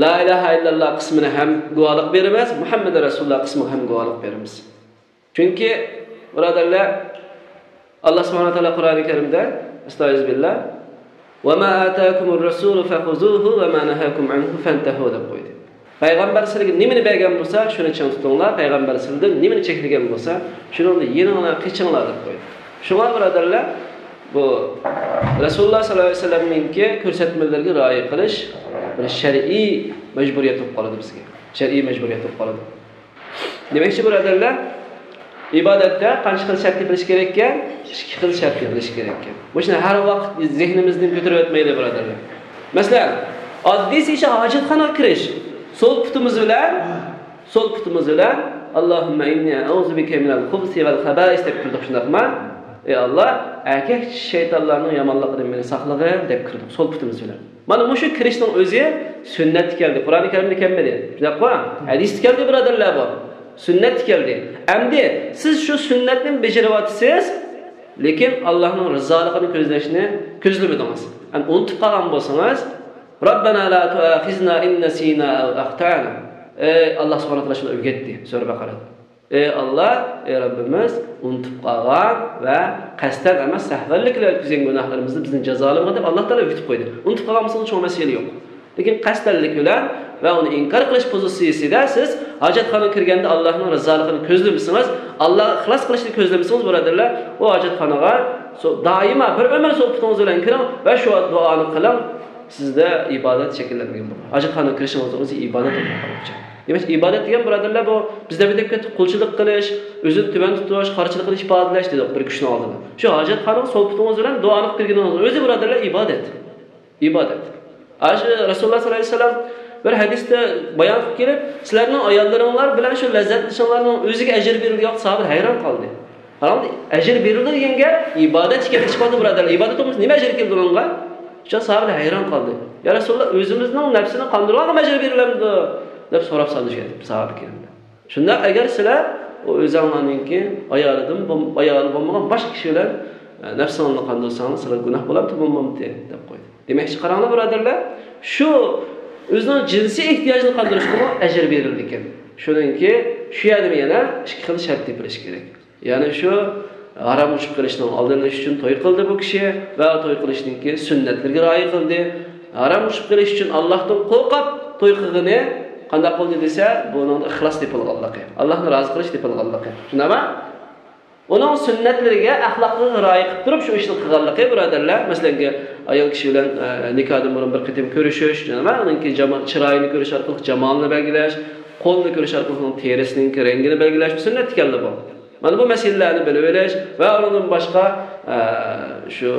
لا ئىلاھە ئىللاللا قىسمىنى ھەم گۇۋاھلىق بېرىمىز، مۇھەممەد رەسۇلۇللا قىسمىغا ھەم گۇۋاھلىق بېرىمىز. چۈنكى، بۇرادەرلەر، ئاللا سۇبھانەھۇ ۋە تائالا قۇرئانى كەرىمدە، ئەستەئىزۇبىللا، ۋە ما ئاتاكۇمۇر رەسۇلۇ فەخۇزۇھۇ ۋە ما نەھاكۇم ئەنھۇ فەنتەھۇ دەپ قويدى. پەيغەمبەر سىلەرگە نېمىنى بەرگەن بولسا، شۇنى چىڭ تۇتۇڭلار، پەيغەمبەر سىلەردىن نېمىنى چەكلىگەن بولسا، شۇنىڭدىن يېنىڭلار، قېچىڭلار دەپ قويدى. شۇڭا، بۇرادەرلەر، بۇ رەسۇلۇللا سەللەللاھۇ ئەلەيھى ۋەسەللەمنىڭكى كۆرسەتمىلىرىگە رىئايە قىلىش بىر شەرئىي مەجبۇرىيەت بولۇپ قالىدۇ بىزگە. شەرئىي مەجبۇرىيەت بولۇپ قالىدۇ. دېمەكچى، بۇرادەرلەر، ئىبادەتتە قانچە خىل شەرت تېپىلىشى كېرەك ئىكەن؟ ئىككى خىل شەرت تېپىلىشى كېرەك ئىكەن. بۇ ئىشنى ھەر ۋاقىت زېھنىمىزدىن كۆتۈرۈۋەتمەيلى، بۇرادەرلەر. مەسىلەن، ئاددىيسى ئىش ھاجەتخانىغا كىرىش. سول پۇتىمىز بىلەن، سول پۇتىمىز بىلەن، «ئاللاھۇممە ئىننى ئەئۇزۇ بىكە مىنەل خۇبسى ۋەل خەبائىس» دەپ كىردۇق، شۇنداقمۇ؟ «ئەي ئاللا، ئەركەك شەيتانلارنىڭ يامانلىقىدىن مېنى ساقلىغىن» دەپ كىردۇق سول پۇتىمىز بىلەن. مانا مۇشۇ كىرىشنىڭ ئۆزى سۈننەتتە كەلدى. قۇرئانى كەرىمدە كەلمىدى. شۇنداققۇ؟ ھەدىستە كەلدى، بۇرادەرلەر، بۇ. سۈننەتتە كەلدى. ئەمدى سىز شۇ سۈننەتنى بېجىرىۋاتىسىز، لېكىن ئاللاھنىڭ رىزالىقىنى كۆزلەشنى كۆزلىمىدىڭىز. ئەمدى ئۇنتۇپ قالغان بولسىڭىز، «رەببەنا لا تۇئاخىزنا ئىن نەسىنا ئەۋ ئەختەنا.» ئەي، ئاللا سۇبھانەھۇ ۋە تائالا شۇنداق ئۆگەتتى سۈرە بەقەرەدە. ئەي ئاللا، ئەي رەببىمىز، ئۇنتۇپ قالغان ۋە قەستەن ئەمەس، سەھۋەنلىك بىلەن ئۆتكۈزگەن گۇناھلىرىمىزنى بىزنى جازالىمىغىن دەپ ئاللا تائالا ئۆگىتىپ قويدى. ئۇنتۇپ قالغان بولسىڭىز چوڭ مەسىلە يوق. لېكىن قەستەنلىك بىلەن ۋە ئۇنى ئىنكار قىلىش پوزىتسىيىسىدە سىز ھاجەتخانىغا كىرگەندە ئاللانىڭ رىزالىقىنى كۆزلىمىسىڭىز، ئاللاغا ئىخلاس قىلىشنى كۆزلىمىسىڭىز، بۇرادەرلەر، ئۇ ھاجەتخانىغا سو-، دائىما بىر ئۆمۈر سول پۇتىڭىز بىلەن كىرىڭ ۋە شۇ دۇئانى قىلىڭ، سىزدە ئىبادەت شەكىللەنمىگەن بولىدۇ. ھاجەتخانىغا كىرىشىڭىزنىڭ ئۆزى ئىبادەت بولۇپ قالغۇچە. دېمەك، ئىبادەت دېگەن، بۇرادەرلەر، بۇ بىز دەپ ئۆتۈپ كەتتۇق، قۇلچىلىق قىلىش، ئۆزىنى تۆۋەن تۇتۇش، قارشىلىقنى ئىپادىلەش دېدۇق بىر كىشىنىڭ ئالدىدا. شۇ ھاجەتخانىغا سول پۇتىڭىز بىلەن دۇئانى قىلىپ كىرگىنىڭىزنىڭ ئۆزى، بۇرادەرلەر، ئىبادەت. ئىبادەت. ئاشۇ رەسۇلۇللا ساللاللاھۇ ئەلەيھى ۋەسەللەم بىر ھەدىستە بايان قىلىپ كېلىپ، «سىلەرنىڭ ئاياللىرىڭلار بىلەن شۇ لەززەتلىنىشىڭلارنىڭ ئۆزىگە ئەجىر بېرىلدى» دېگەن، ساھابىلەر ھەيران قالدى. قاراڭ، ئەجىر بېرىلدى دېگەن گەپ ئىبادەت ئىكەنلىكى ئىسپاتى، بۇرادەرلەر. ئىبادەت بولمىسا نېمە ئەجىر كېلىدۇ ئۇنىڭغا؟ شۇ ساھابىلەر ھەيران قالدى. «يا رەسۇلاللا، ئۆزىمىزنىڭ نەپسىنى قاندۇرغانغىمۇ ئەجىر بېرىلەمدۇ؟» دەپ سوراپ سالدى شۇ يەردە ساھابە كىراملار. «شۇنداق، ئەگەر سىلەر ئۇ ئۆزۈڭلارنىڭكى ئايالىدىن بولم-، ئايالى بولمىغان باشقا كىشى بىلەن، ئە، نەپسىڭلارنى قاندۇرساڭلار، سىلەرگە گۇناھ بولامتى، بولمامتى؟» دەپ قويدى. دېمەكچى، قاراڭلار، بۇرادەرلەر، شۇ ئۆزىنىڭ جىنسىي ئېھتىياجىنى قاندۇرۇشقىمۇ ئەجىر بېرىلىدىكەن. شۇنىڭكى شۇ يەردىمۇ يەنە ئىككى خىل شەرت تېپىلىشى كېرەك. يەنى شۇ ھارامغا چۈشۈپ قېلىشنىڭ ئالدىنى ئېلىش ئۈچۈن توي قىلدى بۇ كىشى ۋە توي قىلىشنىڭكى سۈننەتلىرىگە رىئايە قىلدى. ھارامغا چۈشۈپ قېلىش ئۈچۈن ئاللاھتىن قورقۇپ توي قىلغىنى قانداق بولدى دېسە، بۇنىڭدا ئىخلاس تېپىلغانلىقى، ئاللاھنى رازى قىلىش تېپىلغانلىقى. شۇنداقمۇ؟ ئۇنىڭ سۈننەتلىرىگە، ئەخلاقلىرىغا رىئايە قىلىپ تۇرۇپ شۇ ئىشنى قىلغانلىقى، بۇرادەرلەر، مەسىلەن، ئايال كىشى بىلەن، ئە، نىكاھدىن بۇرۇن بىر قېتىم كۆرۈشۈش، نېمە، ئۇنىڭكى جاما-، چىرايىنى كۆرۈش ئارقىلىق جامالىنى بەلگىلەش، قولىنى كۆرۈش ئارقىلىق ئۇنىڭ تېرىسىنىڭكى رەڭگىنى بەلگىلەش، بۇ سۈننەتتە كەلدى بۇ. مانا بۇ مەسىلىلەرنى بىلىۋېلىش ۋە ئۇنىڭدىن باشقا، ئە، شۇ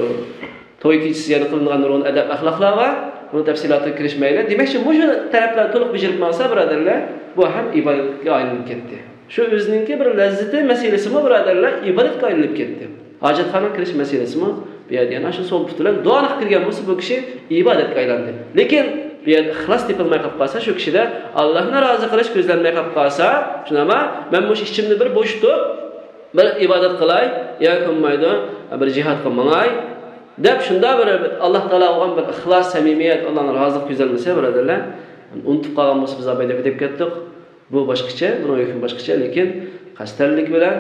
توي كېچىسى يەنە قىلىنغان نۇرغۇن ئەدەپ-ئەخلاقلار بار. بۇنىڭ تەپسىلاتىغا كىرىشمەيلى. دېمەكچى، مۇشۇ تەرەپلەرنى تولۇق بېجىرىپ ماڭسا، بۇرادەرلەر، بۇ ھەم ئىبادەتكە ئايلىنىپ كەتتى. شۇ ئۆزىنىڭكى بىر لەززىتى مەسىلىسىمۇ، بۇرادەرلەر، ئىبادەتكە ئايلىنىپ كەتتى. ھاجەتخانىغا كىرىش مەسىلىسىمۇ بۇ يەردە يەنە شۇ سول پۇتى بىلەن دۇئانى قىلىپ كىرگەن بولسا، بۇ كىشى ئىبادەتكە ئايلاندى. لېكىن بۇ يەردە ئىخلاس تېپىلماي قېلىپ قالسا، شۇ كىشىدە ئاللاھنى رازى قىلىش كۆزلەنمەي قېلىپ قالسا، شۇنداقمۇ؟ مەن مۇشۇ ئىچىمنى بىر بوشىتىپ، بىر ئىبادەت قىلاي ياكى بولمايدۇ، بىر جىھادقا ماڭاي دەپ، شۇنداق بىر ئاللا تائالا بولغان بىر ئىخلاس، سەمىمىيەت، ئاللانىڭ رازىلىقى كۆزلەنمىسە، بۇرادەرلەر، ئۇنتۇپ قالغان بولسا، بىز ئاپاي دەپ كېتىپ كەتتۇق. بۇ باشقىچە، بۇنىڭ ھۆكمى باشقىچە، لېكىن قەستەنلىك بىلەن،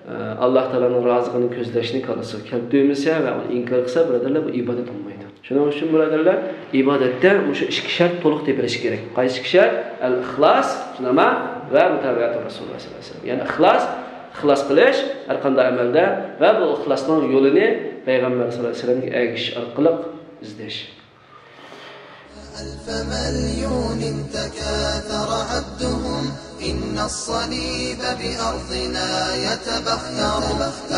ئە، ئاللا تائالانىڭ رازىلىقىنى كۆزلەشنى كاللىسىغا كەلتۈرمىسە ۋە ئۇنى ئىنكار قىلسا، بۇرادەرلەر، بۇ ئىبادەت بولمايدۇ. شۇنىڭ ئۈچۈن، بۇرادەرلەر، ئىبادەتتە مۇشۇ ئىككى شەرت تولۇق تېپىلىشى كېرەك. قايسى ئىككى شەرت؟ ئەل ئىخلاس، شۇنداقمۇ؟ ۋە مۇتابىئەتۇ رەسۇلىللا سەللەللاھۇ ئەلەيھى ۋەسەللەم. يەنى ئىخلاس، ئىخلاس قىلىش ھەر قانداق ئەمەلدە ۋە بۇ ئىخلاسنىڭ يولىنى پەيغەمبەر سەللەللاھۇ ئەلەيھى ۋەسەللەمگە ئەگىشىش ئارقىلىق ئىزدەش. ألف مليون تكاثر عدهم، إن الصليب بأرضنا يتبختر.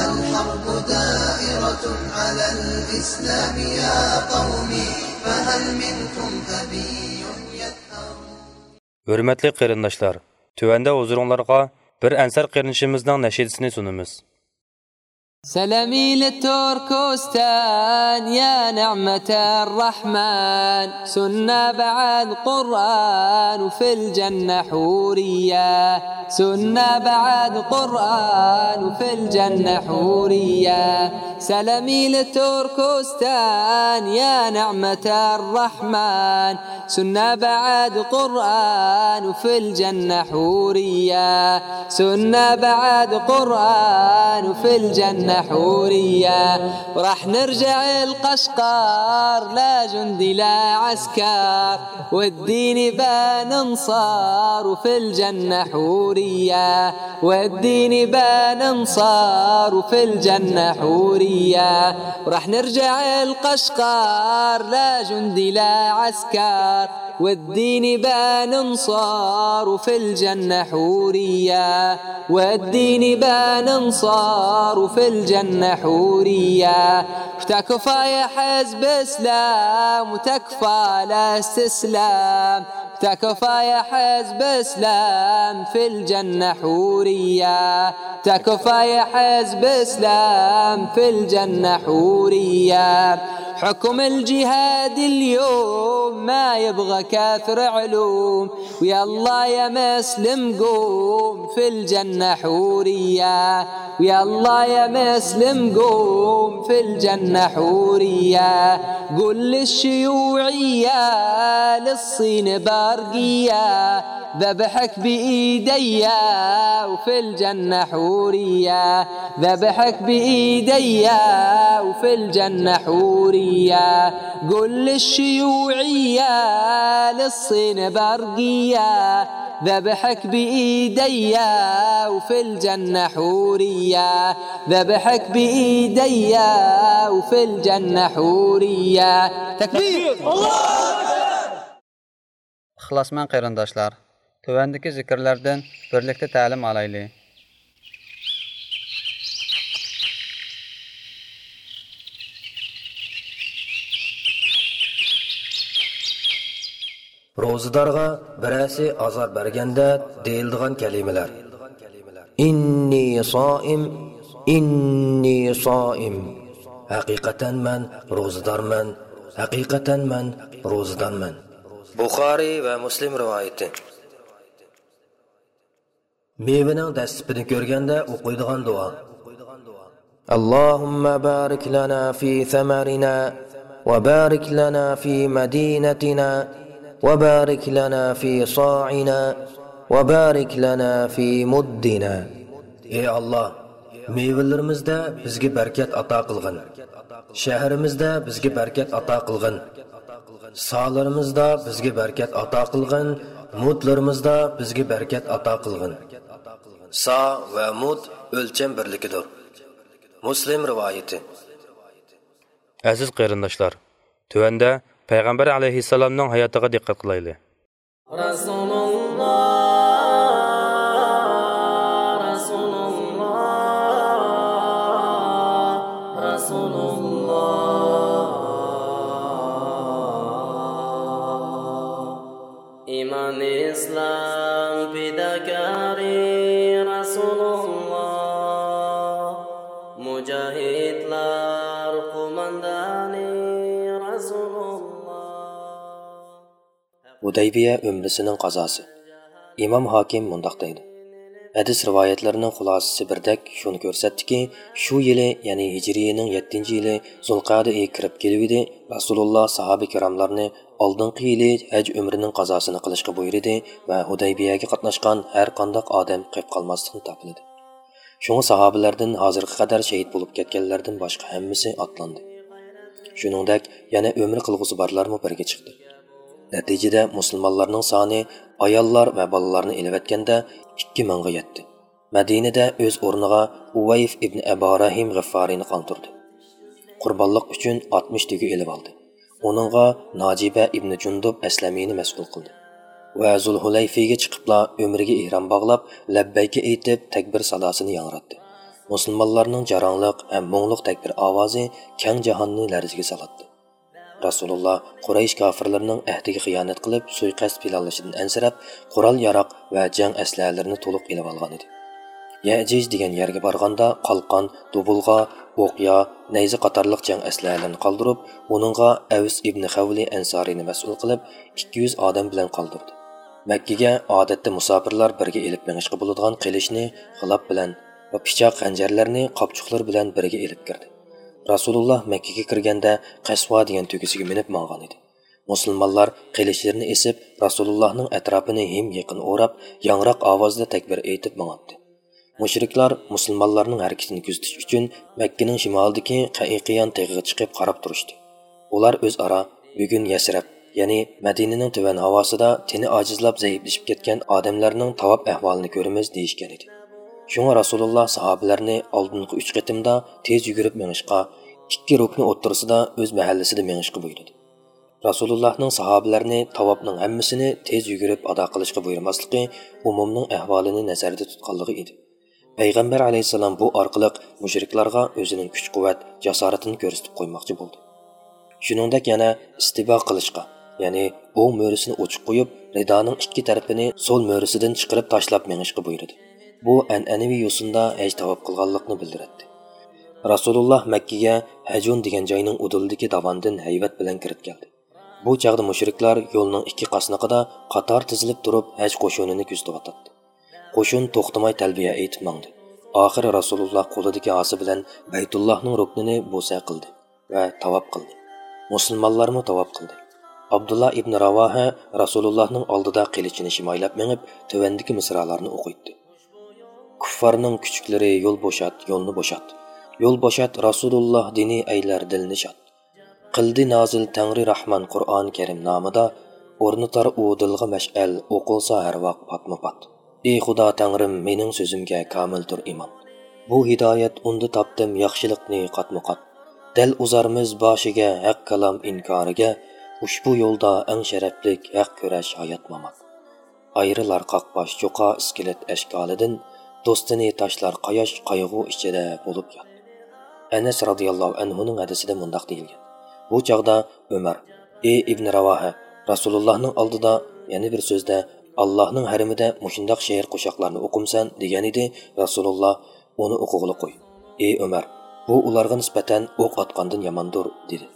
الحرب دائرة على الإسلام يا قومي، فهل منكم أبي يثأر؟ ھۆرمەتلىك قېرىنداشلار، تۆۋەندە ھۇزۇرۇڭلارغا بىر ئەنسار قېرىندىشىمىزنىڭ نەشىدىسىنى سۇنىمىز. سلام إلى تركستان يا نعمة الرحمن، سنة بعد قرآن وفي الجنة حورية، سنة بعد قرآن وفي الجنة حورية. سلام إلى تركستان يا نعمة الرحمن، سنة بعد قرآن وفي الجنة حورية، سنة بعد قرآن وفي الجنة حورية. وراح نرجع القشقر، لا جندي لا عسكر، والدين بان انصار وفي الجنة حورية، والدين بان انصار وفي الجنة حورية. وراح نرجع القشقر، لا جندي لا عسكر، والدين بان انصار في الجنة حورية. والدين بان انصار في الجنة حورية. وتكفى يا حزب إسلام، وتكفى لا استسلام. تكفى يا حزب إسلام، في الجنة حورية. تكفى يا حزب إسلام، في الجنة حورية. حكم الجهاد اليوم ما يبغى كثر علوم. ويلا يا مسلم قوم، في الجنة حورية. ويلا يا مسلم قوم، في الجنة حورية. قل للشيوعية، للصين برقية، ذبحك بإيديا وفي الجنة حورية. ذبحك بإيديا وفي الجنة حورية. قل للشيوعية، للصين برقية، ذبحك بإيديا وفي الجنة حورية. ذبحك بإيديا وفي الجنة حورية. تكبير! ئىخلاسمەن قېرىنداشلار، تۆۋەندىكى زىكىرلەردىن بىرلىكتە تەلىم ئالايلى. روزىدارغا بىرەرسى ئازار بەرگەندە دېيىلىدىغان كەلىمىلەر: «ئىننى سائىم، ئىننى سائىم»، ھەقىقەتەن مەن روزىدارمەن، ھەقىقەتەن مەن روزىدارمەن. بۇخارىي ۋە مۇسلىم رىۋايىتى. مېۋىنىڭ دەسلىپىنى كۆرگەندە ئوقۇيدىغان دۇئا. اللهم بارك لنا في ثمرنا، وبارك لنا في مدينتنا، وبارك لنا في صاعنا، وبارك لنا في مدنا. ئەي ئاللا، مېۋىلىرىمىزدە بىزگە بەرىكەت ئاتا قىلغىن. شەھىرىمىزدە بىزگە بەرىكەت ئاتا قىلغىن. سالىرىمىزدا بىزگە بەرىكەت ئاتا قىلغىن، مۇدلىرىمىزدا بىزگە بەرىكەت ئاتا قىلغىن. سا ۋە مۇد ئۆلچەم بىرلىكىدۇر. مۇسلىم رىۋايىتى. ئەزىز قېرىنداشلار، تۆۋەندە پەيغەمبەر ئەلەيھىسسالامنىڭ ھاياتىغا دىققەت قىلايلى. رەسۇلۇللا، رەسۇلۇللا، رەسۇلۇللا. ئىمان ئىسلام پىداكارى رەسۇلۇللا، مۇجاھىدلار قوماندانى رەسۇلۇللا. ھۇدەيبىيە ئۆمرىسىنىڭ قازاسى. ئىمام ھاكىم مۇنداق دەيدۇ: ھەدىس رىۋايەتلىرىنىڭ خۇلاسىسى بىردەك شۇنى كۆرسەتتىكى، شۇ يىلى، يەنى ھىجرىيىنىڭ يەتتىنچى يىلى زۇلقەدە ئېيى كىرىپ كېلىۋىدى، رەسۇلۇللا ساھابە كىراملارنى ئالدىنقى يىلى ھەج ئۆمرىنىڭ قازاسىنى قىلىشقا بۇيرۇدى ۋە ھۇدەيبىيەگە قاتناشقان ھەر قانداق ئادەم قېپ قالماسلىقنى تاپىلىدى. شۇڭا ساھابىلەردىن ھازىرغا قەدەر شېھىت بولۇپ كەتكەنلەردىن باشقا ھەممىسى ئاتلاندى. شۇنىڭدەك يەنە ئۆمرە قىلغۇسى بارلارمۇ بىرگە چىقتى. نەتىجىدە مۇسۇلمانلارنىڭ سانى ئاياللار ۋە بالىلارنى ئېلىۋەتكەندە ئىككى مىڭغا يەتتى. مەدىنىدە ئۆز ئورنىغا ئۇۋەيف ئىبن ئەباراھىم غىففارىنى قالدۇردى. قۇربانلىق ئۈچۈن ئاتمىش تۆگە ئېلىۋالدى. ئۇنىڭغا ناجىبە ئىبن جۇندۇب ئەسلەمىنى مەسئۇل قىلدى. ۋە زۇلھۇلەيفىگە چىقىپلا ئۆمرىگە ئېھرام باغلاپ، لەببەيكە ئېيتىپ، تەكبىر ساداسىنى ياڭراتتى. مۇسۇلمانلارنىڭ جاراڭلىق ھەم مۇڭلۇق تەكبىر ئاۋازى كەڭ جاھاننى لەرزىگە سالاتتى. رەسۇلۇللا قۇرەيش كاپىرلىرىنىڭ ئەھدىگە خىيانەت قىلىپ، سۇيىقەست پىلانلىشىدىن ئەنسىرەپ، قورال-ياراغ ۋە جەڭ ئەسلىھەلىرىنى تولۇق ئېلىۋالغانىدى. يەئجىج دېگەن يەرگە بارغاندا قالقان، دۇبۇلغا، ئوقيا، نەيزە قاتارلىق جەڭ ئەسلىھەلىرىنى قالدۇرۇپ، ئۇنىڭغا ئەۋس ئىبنى خەۋلى ئەنسارىنى مەسئۇل قىلىپ، ئىككى يۈز ئادەم بىلەن قالدۇردى. مەككىگە ئادەتتە مۇساپىرلار بىرگە ئېلىپ مېڭىشقا بولىدىغان قىلىچنى غىلاپ بىلەن ۋە پىچاق، خەنجەرلەرنى قاپچۇقلىرى بىلەن بىرگە ئېلىپ كىردى. رەسۇلۇللا مەككىگە كىرگەندە قەسۋا دېگەن تۆگىسىگە مىنىپ ماڭغانىدى. مۇسۇلمانلار قىلىچلىرىنى ئېسىپ، رەسۇلۇللانىڭ ئەتراپىنى ھىم يېقىن ئوراپ، ياڭراق ئاۋازدا تەكبىر ئېيتىپ ماڭاتتى. مۇشرىكلار مۇسۇلمانلارنىڭ ھەرىكىتىنى كۆزىتىش ئۈچۈن مەككىنىڭ شىمالىدىكى قەئىقىيان تېغىغا چىقىپ قاراپ تۇرۇشتى. ئۇلار ئۆزئارا، «بۈگۈن يەسرەب، يەنى مەدىنىنىڭ تۆۋەن ھاۋاسىدا تېنى ئاجىزلاپ زەئىپلىشىپ كەتكەن ئادەملەرنىڭ تاۋاپ ئەھۋالىنى كۆرىمىز» دېيىشكەنىدى. شۇڭا رەسۇلۇللا ساھابىلەرنى ئالدىنقى ئۈچ قېتىمدا تېز يۈگۈرۈپ مېڭىشقا، ئىككى رۇكنى ئوتتۇرىسىدا ئۆز مەھەللىسىدە مېڭىشقا بۇيرۇدى. رەسۇلۇللاھنىڭ ساھابىلەرنى تاۋاپنىڭ ھەممىسىنى تېز يۈگۈرۈپ ئادا قىلىشقا بۇيرۇماسلىقى ئومۇمنىڭ ئەھۋالىنى نەزەردە تۇتقانلىقى ئىدى. پەيغەمبەر ئەلەيھىسسالام بۇ ئارقىلىق مۇشرىكلارغا ئۆزىنىڭ كۈچ-قۇۋۋەت، جاسارىتىنى كۆرسىتىپ قويماقچى بولدى. شۇنىڭدەك يەنە ئىستىبا قىلىشقا، يەنى ئوڭ مۈرىسىنى ئوچۇق قويۇپ، رىدانىڭ ئىككى تەرىپىنى سول مۈرىسىدىن چىقىرىپ تاشلاپ مېڭىشقا بۇيرۇدى. بۇ ئەنئەنىۋى يوسۇندا ھەج تاۋاپ قىلغانلىقنى بىلدۈرەتتى. رەسۇلۇللاھ مەككىگە ھەجۇن دېگەن جاينىڭ ئۇدۇلىدىكى داۋاندىن ھەيۋەت بىلەن كىرىپ كەلدى. بۇ چاغدا مۇشرىكلار يولنىڭ ئىككى قاسنىقىدا قاتار تىزىلىپ تۇرۇپ، ھەج قوشۇنىنى كۆزىتىۋاتاتتى. قوشۇن توختىماي تەلبىيە ئېيتىپ ماڭدى. ئاخىرى رەسۇلۇللاھ قولىدىكى ھاسا بىلەن بەيتۇللاھنىڭ رۇكنىنى بوسە قىلدى ۋە تاۋاپ قىلدى. مۇسۇلمانلارمۇ تاۋاپ قىلدى. ئابدۇللا ئىبن راۋاھە رەسۇلۇللاھنىڭ ئالدىدا قىلىچىنى شىمايلاپ مېڭىپ، تۆۋەندىكى مىسرالارنى ئوقۇيتتى. كۇففارنىڭ كۈچۈكلىرى، يول بوشات، يولنى بوشات. يول بوشات، رەسۇلۇللاھ دىنى ئەيلەر دىلنى شاد. قىلدى نازىل تەڭرى راھمان قۇرئان كەرىم نامىدا، ئورنىتار ئۇ دىلغا مەشئەل، ئوقۇلسا ھەر ۋاق پاتمۇ پات. ئى خۇدا تەڭرىم، مېنىڭ سۆزۈمگە كامىلدۇر ئىمان. بۇ ھىدايەت ئۇندا تاپتىم ياخشىلىقنى قاتمۇ قات. دەل ئۇزارمىز باشىگە ھەق كالام ئىنكارىگە، ئۇشبۇ يولدا ئەڭ شەرەپلىك ھەق كۈرەش ھايات مامات. ئايرىلار قاقباش چوقا ئىسكىلەت ئەشكالىدىن، دوستىنى تاشلار قاياش قايغۇ ئىچىدە بولۇپ يات. ئەنەس رازىياللاھۇ ئەنھۇنىڭ ھەدىسىدە مۇنداق دېيىلگەن: بۇ چاغدا ئۆمەر، ئى ئىبنى راۋاھە، رەسۇلۇللاھنىڭ ئالدىدا، يەنە بىر سۆزدە، ئاللاھنىڭ ھەرىمىدە مۇشۇنداق شېئىر قوشاقلارنى ئوقۇمسەن دېگەنىدى. رەسۇلۇللاھ ئۇنى ئوقۇغىلى قوي. ئى ئۆمەر، بۇ ئۇلارغا نىسبەتەن ئوق ئاتقاندىن ياماندۇر، دېدى.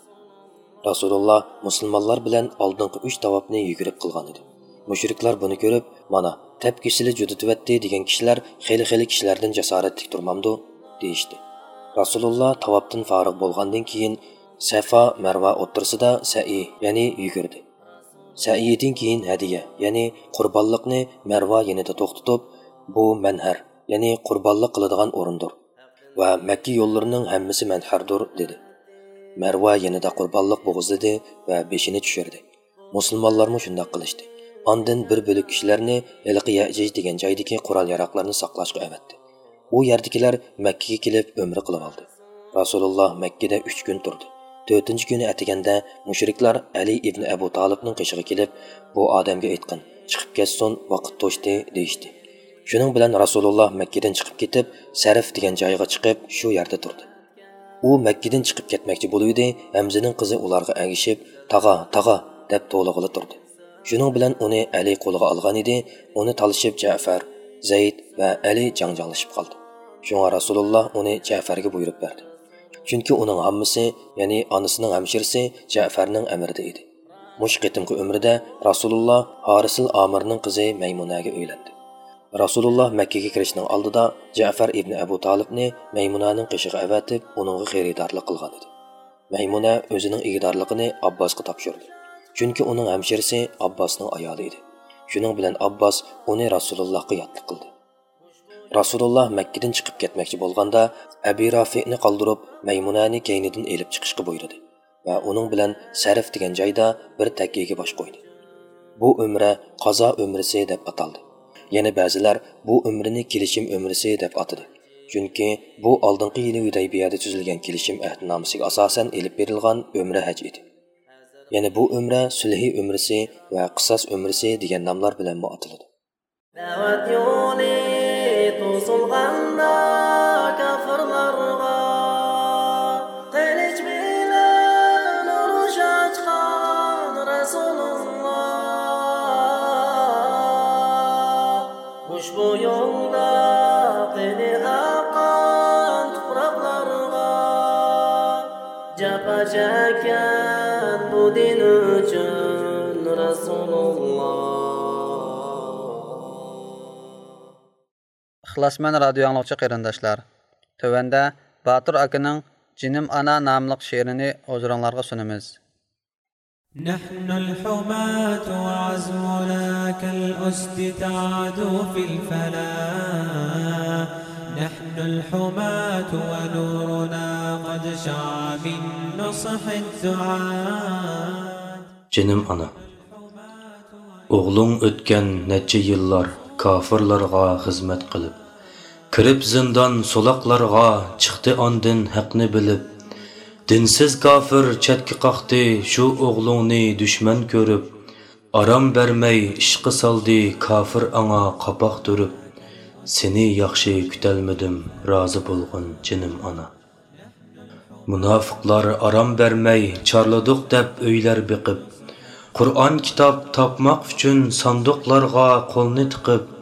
رەسۇلۇللاھ مۇسۇلمانلار بىلەن ئالدىنقى ئۈچ تاۋاپنى يۈگۈرۈپ قىلغانىدى. مۇشرىكلار بۇنى كۆرۈپ، مانا، تەپكىسىلى جۈدىتىۋەتتى دېگەن كىشىلەر خېلى-خېلى كىشىلەردىن جاسارەتلىك تۇرمامدۇ؟ دېيىشتى. رەسۇلۇللاھ تاۋاپتىن فارىغ بولغاندىن كېيىن، سەفا، مەرۋا ئوتتۇرىسىدا سەئى، يەنى يۈگۈردى. سەئىدىن كېيىن ھەدىيە، يەنى قۇربانلىقنى مەرۋا يېنىدا توختىتىپ، بۇ مەنھەر، يەنى قۇربانلىق قىلىدىغان ئورۇندۇر ۋە مەككە يوللىرىنىڭ ھەممىسى مەنھەردۇر، دېدى. مەرۋا يېنىدا قۇربانلىق بوغۇزلىدى ۋە بېشىنى چۈشۈردى. مۇسۇلمانلارمۇ شۇنداق قىلىشتى. ئاندىن بىر بۆلەك كىشىلەرنى ھېلىقى يەئجىج دېگەن جايدىكى قورال-ياراغلارنى ساقلاشقا ئەۋەتتى. ئۇ يەردىكىلەر مەككىگە كېلىپ ئۆمرە قىلىۋالدى. رەسۇلۇللاھ مەككىدە ئۈچ كۈن تۇردى. تۆتىنچى كۈنى ئەتىگەندە مۇشرىكلار ئەلى ئىبنى ئەبۇ تالىپنىڭ قېشىغا كېلىپ، بۇ ئادەمگە ئېيتقىن، چىقىپ كەتسۇن، ۋاقىت توشتى، دېيىشتى. شۇنىڭ بىلەن رەسۇلۇللاھ مەككىدىن چىقىپ كېتىپ، سەرف دېگەن جايغا چىقىپ، شۇ يەردە تۇردى. ئۇ مەككىدىن چىقىپ كەتمەكچى بولۇۋىدى، ھەمزىنىڭ قىزى ئۇلارغا ئەگىشىپ، تاغا، تاغا، دەپ توۋلىغىلى تۇردى. شۇنىڭ بىلەن ئۇنى ئەلى قولىغا ئالغانىدى، ئۇنى تالىشىپ جەفەر، زەيد ۋە ئەلى جاڭجاڭلىشىپ قالدى. شۇڭا رەسۇلۇللاھ ئۇنى جەفەرگە بۇيرۇپ بەردى. چۈنكى ئۇنىڭ ھاممىسى، يەنى ئانىسىنىڭ ھەمشىرىسى جەفەرنىڭ ئەمرىدە ئىدى. مۇشۇ قېتىمقى ئۆمرىدە رەسۇلۇللاھ ھارىسىل ئامىرنىڭ قىزى مەيمۇنەگە ئۆيلەندى. رەسۇلۇللاھ مەككىگە كىرىشنىڭ ئالدىدا جەفەر ئىبنى ئەبۇ تالىپنى مەيمۇنەنىڭ قېشىغا ئەۋەتىپ، ئۇنىڭغا خېرىدارلىق قىلغانىدى. مەيمۇنە ئۆزىنىڭ ئىگىدارلىقىنى ئابباسقا تاپشۇردى. چۈنكى ئۇنىڭ ھەمشىرىسى ئابباسنىڭ ئايالى ئىدى. شۇنىڭ بىلەن ئابباس ئۇنى رەسۇلۇللاھقا ياتلىق قىلدى. رەسۇلۇللاھ مەككىدىن چىقىپ كەتمەكچى بولغاندا، ئەبى رافىئنى قالدۇرۇپ، مەيمۇنەنى كەينىدىن ئېلىپ چىقىشقا بۇيرۇدى ۋە ئۇنىڭ بىلەن سەرف دېگەن جايدا بىر تەككىگە باش قويدى. بۇ ئۆمرە قازا ئۆمرىسى دەپ ئاتالدى. يەنە بەزىلەر بۇ ئۆمرىنى كېلىشىم ئۆمرىسى دەپ ئاتىدى. چۈنكى بۇ ئالدىنقى يىلى ھۈدەيبىيەدە تۈزۈلگەن كېلىشىم ئەھدىنامىسىگە ئاساسەن ئېلىپ بېرىلغان ئۆمرە ھەج ئىدى. يەنە بۇ ئۆمرە سۈلھى ئۆمرىسى ۋە قىساس ئۆمرىسى دېگەن ناملار بىلەنمۇ ئاتىلىدۇ. دەۋەت يولى توسۇلغاندا كاپىرلارغا، قىلىچ بىلەن ئۇرۇش ئاچقان رەسۇلۇللا. ئۇشبۇ يولدا قېنى ئاققان تۇپراقلارغا، جاپا چەككەن بۇ دىن ئۈچۈن رەسۇلۇللا. ئىخلاسمەن رادىيو ئاڭلىغۇچى قېرىنداشلار، تۆۋەندە باتۇر ئاكىنىڭ جېنىم ئانا ناملىق شېئىرىنى ھۇزۇرۇڭلارغا سۇنىمىز. نحن الحماة وعزمنا كالأسد تعدو في الفلاة. نحن الحماة ونورنا قد شع من نصح الدعاة. جېنىم ئانا. ئوغلۇڭ ئۆتكەن نەچچە يىللار كافىرلارغا خىزمەت قىلىپ، كىرىپ زىندان سولاقلارغا، چىقتى ئاندىن ھەقنى بىلىپ. دىنسىز كاپىر چەتكە قاقتى شۇ ئوغلۇڭنى دۈشمەن كۆرۈپ، ئارام بەرمەي ئىشقا سالدى كاپىر ئاڭا قاپاق تۈرۈپ، سېنى ياخشى كۈتەلمىدىم رازى بولغىن جېنىم ئانا. مۇناپىقلار ئارام بەرمەي چارلىدۇق دەپ ئۆيلەر بېقىپ، قۇرئان كىتاب تاپماق ئۈچۈن ساندۇقلارغا قولنى تىقىپ،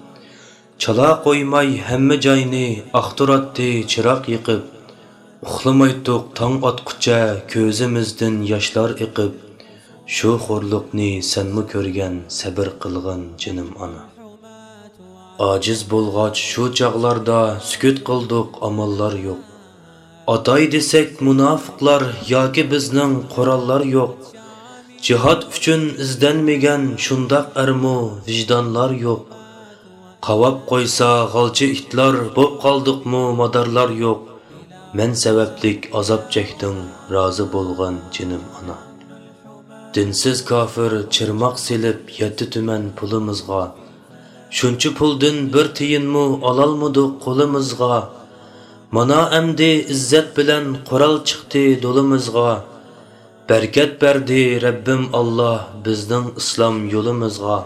چالا قويماي ھەممە جاينى ئاختۇراتتى چىراغ يېقىپ. ئۇخلىمايتتۇق تاڭ ئاتقۇچە كۆزىمىزدىن ياشلار ئېقىپ. شۇ خورلۇقنى سەنمۇ كۆرگەن سەبىر قىلغىن جېنىم ئانا. ئاجىز بولغاچ شۇ چاغلاردا سۈكۈت قىلدۇق ئاماللار يوق. ئاتاي دېسەك مۇناپىقلار ياكى بىزنىڭ قوراللار يوق. جىھاد ئۈچۈن ئىزدەنمىگەن شۇنداق ئەرمۇ ۋىجدانلار يوق. قاۋاپ قويسا غالچە ئىتلار بوپ قالدۇقمۇ مادارلار يوق. مەن سەۋەبلىك ئازاب چەكتىڭ رازى بولغىن جېنىم ئانا. دىنسىز كاپىر چىرماق سېلىپ يەتتە تۈمەن پۇلىمىزغا. شۇنچە پۇلدىن بىر تىيىنمۇ ئالالمىدۇق قولىمىزغا. مانا ئەمدى ئىززەت بىلەن قورال چىقتى دولىمىزغا. بەرىكەت بەردى رەببىم ئاللا بىزنىڭ ئىسلام يولىمىزغا.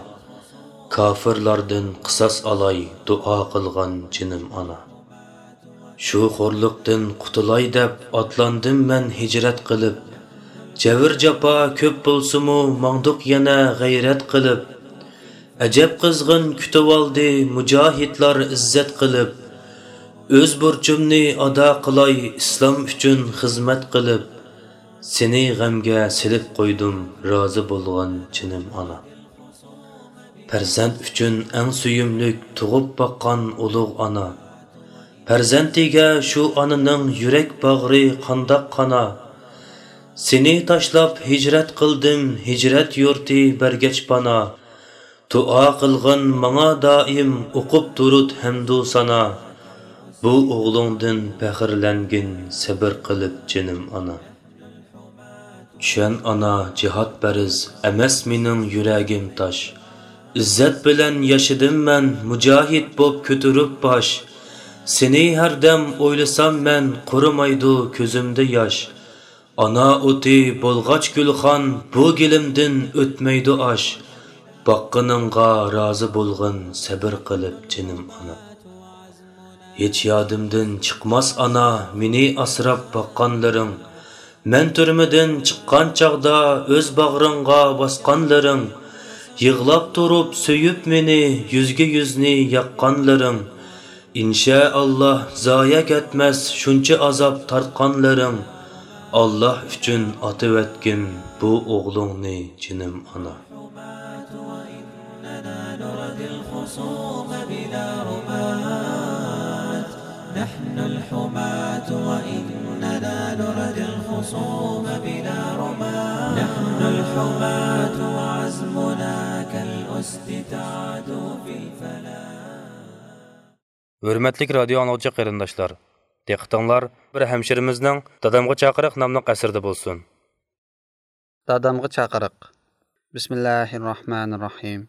كاپىرلاردىن قىساس ئالاي دۇئا قىلغان جېنىم ئانا. شۇ خورلۇقتىن قۇتۇلاي دەپ ئاتلاندىم مەن ھىجرەت قىلىپ. جەۋر جاپا كۆپ بولسىمۇ ماڭدۇق يەنە غەيرەت قىلىپ. ئەجەب قىزغىن كۈتۈۋالدى مۇجاھىدلار ئىززەت قىلىپ. ئۆز بۇرچۇمنى ئادا قىلاي ئىسلام ئۈچۈن خىزمەت قىلىپ. سېنى غەمگە سېلىپ قويدۇم رازى بولغان جېنىم ئانا. پەرزەنت ئۈچۈن ئەڭ سۆيۈملۈك تۇغۇپ باققان ئۇلۇغ ئانا. پەرزەنتىگە شۇ ئانىنىڭ يۈرەك باغرى قانداق قانا. سېنى تاشلاپ ھىجرەت قىلدىم ھىجرەت يۇرتى بەرگەچ پانا. دۇئا قىلغىن ماڭا دائىم ئوقۇپ دۇرۇت ھەمدۇ سانا. بۇ ئوغلۇڭدىن پەخىرلەنگىن سەبىر قىلىپ جېنىم ئانا. چۈشەن ئانا جىھاد پەرز ئەمەس مېنىڭ يۈرەگىم تاش. ئىززەت بىلەن ياشىدىم مەن مۇجاھىد بوپ كۆتۈرۈپ باش. سېنى ھەردەم ئويلىسام مەن قۇرۇمايدۇ كۆزۈمدە ياش. ئانا ئوتى بولغاچ گۈلخان بۇ گېلىمدىن ئۆتمەيدۇ ئاش. باققىنىڭغا رازى بولغىن سەبىر قىلىپ جېنىم ئانا. ھېچ يادىمدىن چىقماس ئانا مېنى ئاسراپ باققانلىرىڭ. مەن تۈرمىدىن چىققان چاغدا ئۆز باغرىڭغا باسقانلىرىڭ. يىغلاپ تۇرۇپ سۆيۈپ مېنى يۈزگە يۈزنى ياققانلىرىڭ. ئىنشائاللا زايە كەتمەس شۇنچە ئازاب تارتقانلىرىڭ. ئاللا ئۈچۈن ئاتىۋەتكىن بۇ ئوغلۇڭنى جېنىم ئانا. نحن الحماة وإننا نردي الخصوم بلا رماة. نحن الحماة وعزمنا كالأسد تعدو في الفلاة. ھۆرمەتلىك رادىيو ئاڭلىغۇچى قېرىنداشلار، دىققىتىڭلار بىر ھەمشىرىمىزنىڭ دادامغا چاقىرىق ناملىق ئەسىرىدە بولسۇن. دادامغا چاقىرىق. بىسمىللاھىرراھمانىرراھىم.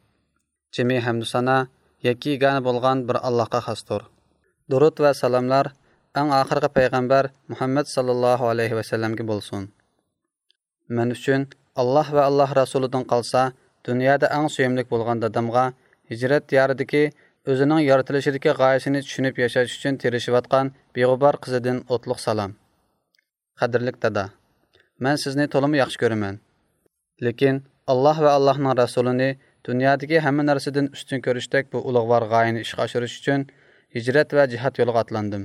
جىمى ھەمدۇسانا يەككە يېگانە بولغان بىر ئاللاھقا خاستۇر. دۇرۇت ۋە سالاملار ئەڭ ئاخىرقى پەيغەمبەر مۇھەممەد ساللاللاھۇ ئەلەيھى ۋەسەللەمگە بولسۇن. مەن ئۈچۈن ئاللاھ ۋە ئاللاھ رەسۇلىدىن قالسا، دۇنيادا ئەڭ سۆيۈملۈك بولغان دادامغا، ھىجرەت دىيارىدىكى ئۆزىنىڭ يارىتىلىشىدىكى غايىسىنى چۈشىنىپ ياشاش ئۈچۈن تىرىشىۋاتقان بىغۇبار قىزىدىن ئوتلۇق سالام. قەدىرلىك دادا، مەن سىزنى تولىمۇ ياخشى كۆرىمەن. لېكىن ئاللاھ ۋە ئاللاھنىڭ رەسۇلىنى دۇنيادىكى ھەممە نەرسىدىن ئۈستۈن كۆرۈشتەك بۇ ئۇلۇغۋار غايىنى ئىشقا ئاشۇرۇش ئۈچۈن ھىجرەت ۋە جىھاد يولىغا ئاتلاندىم.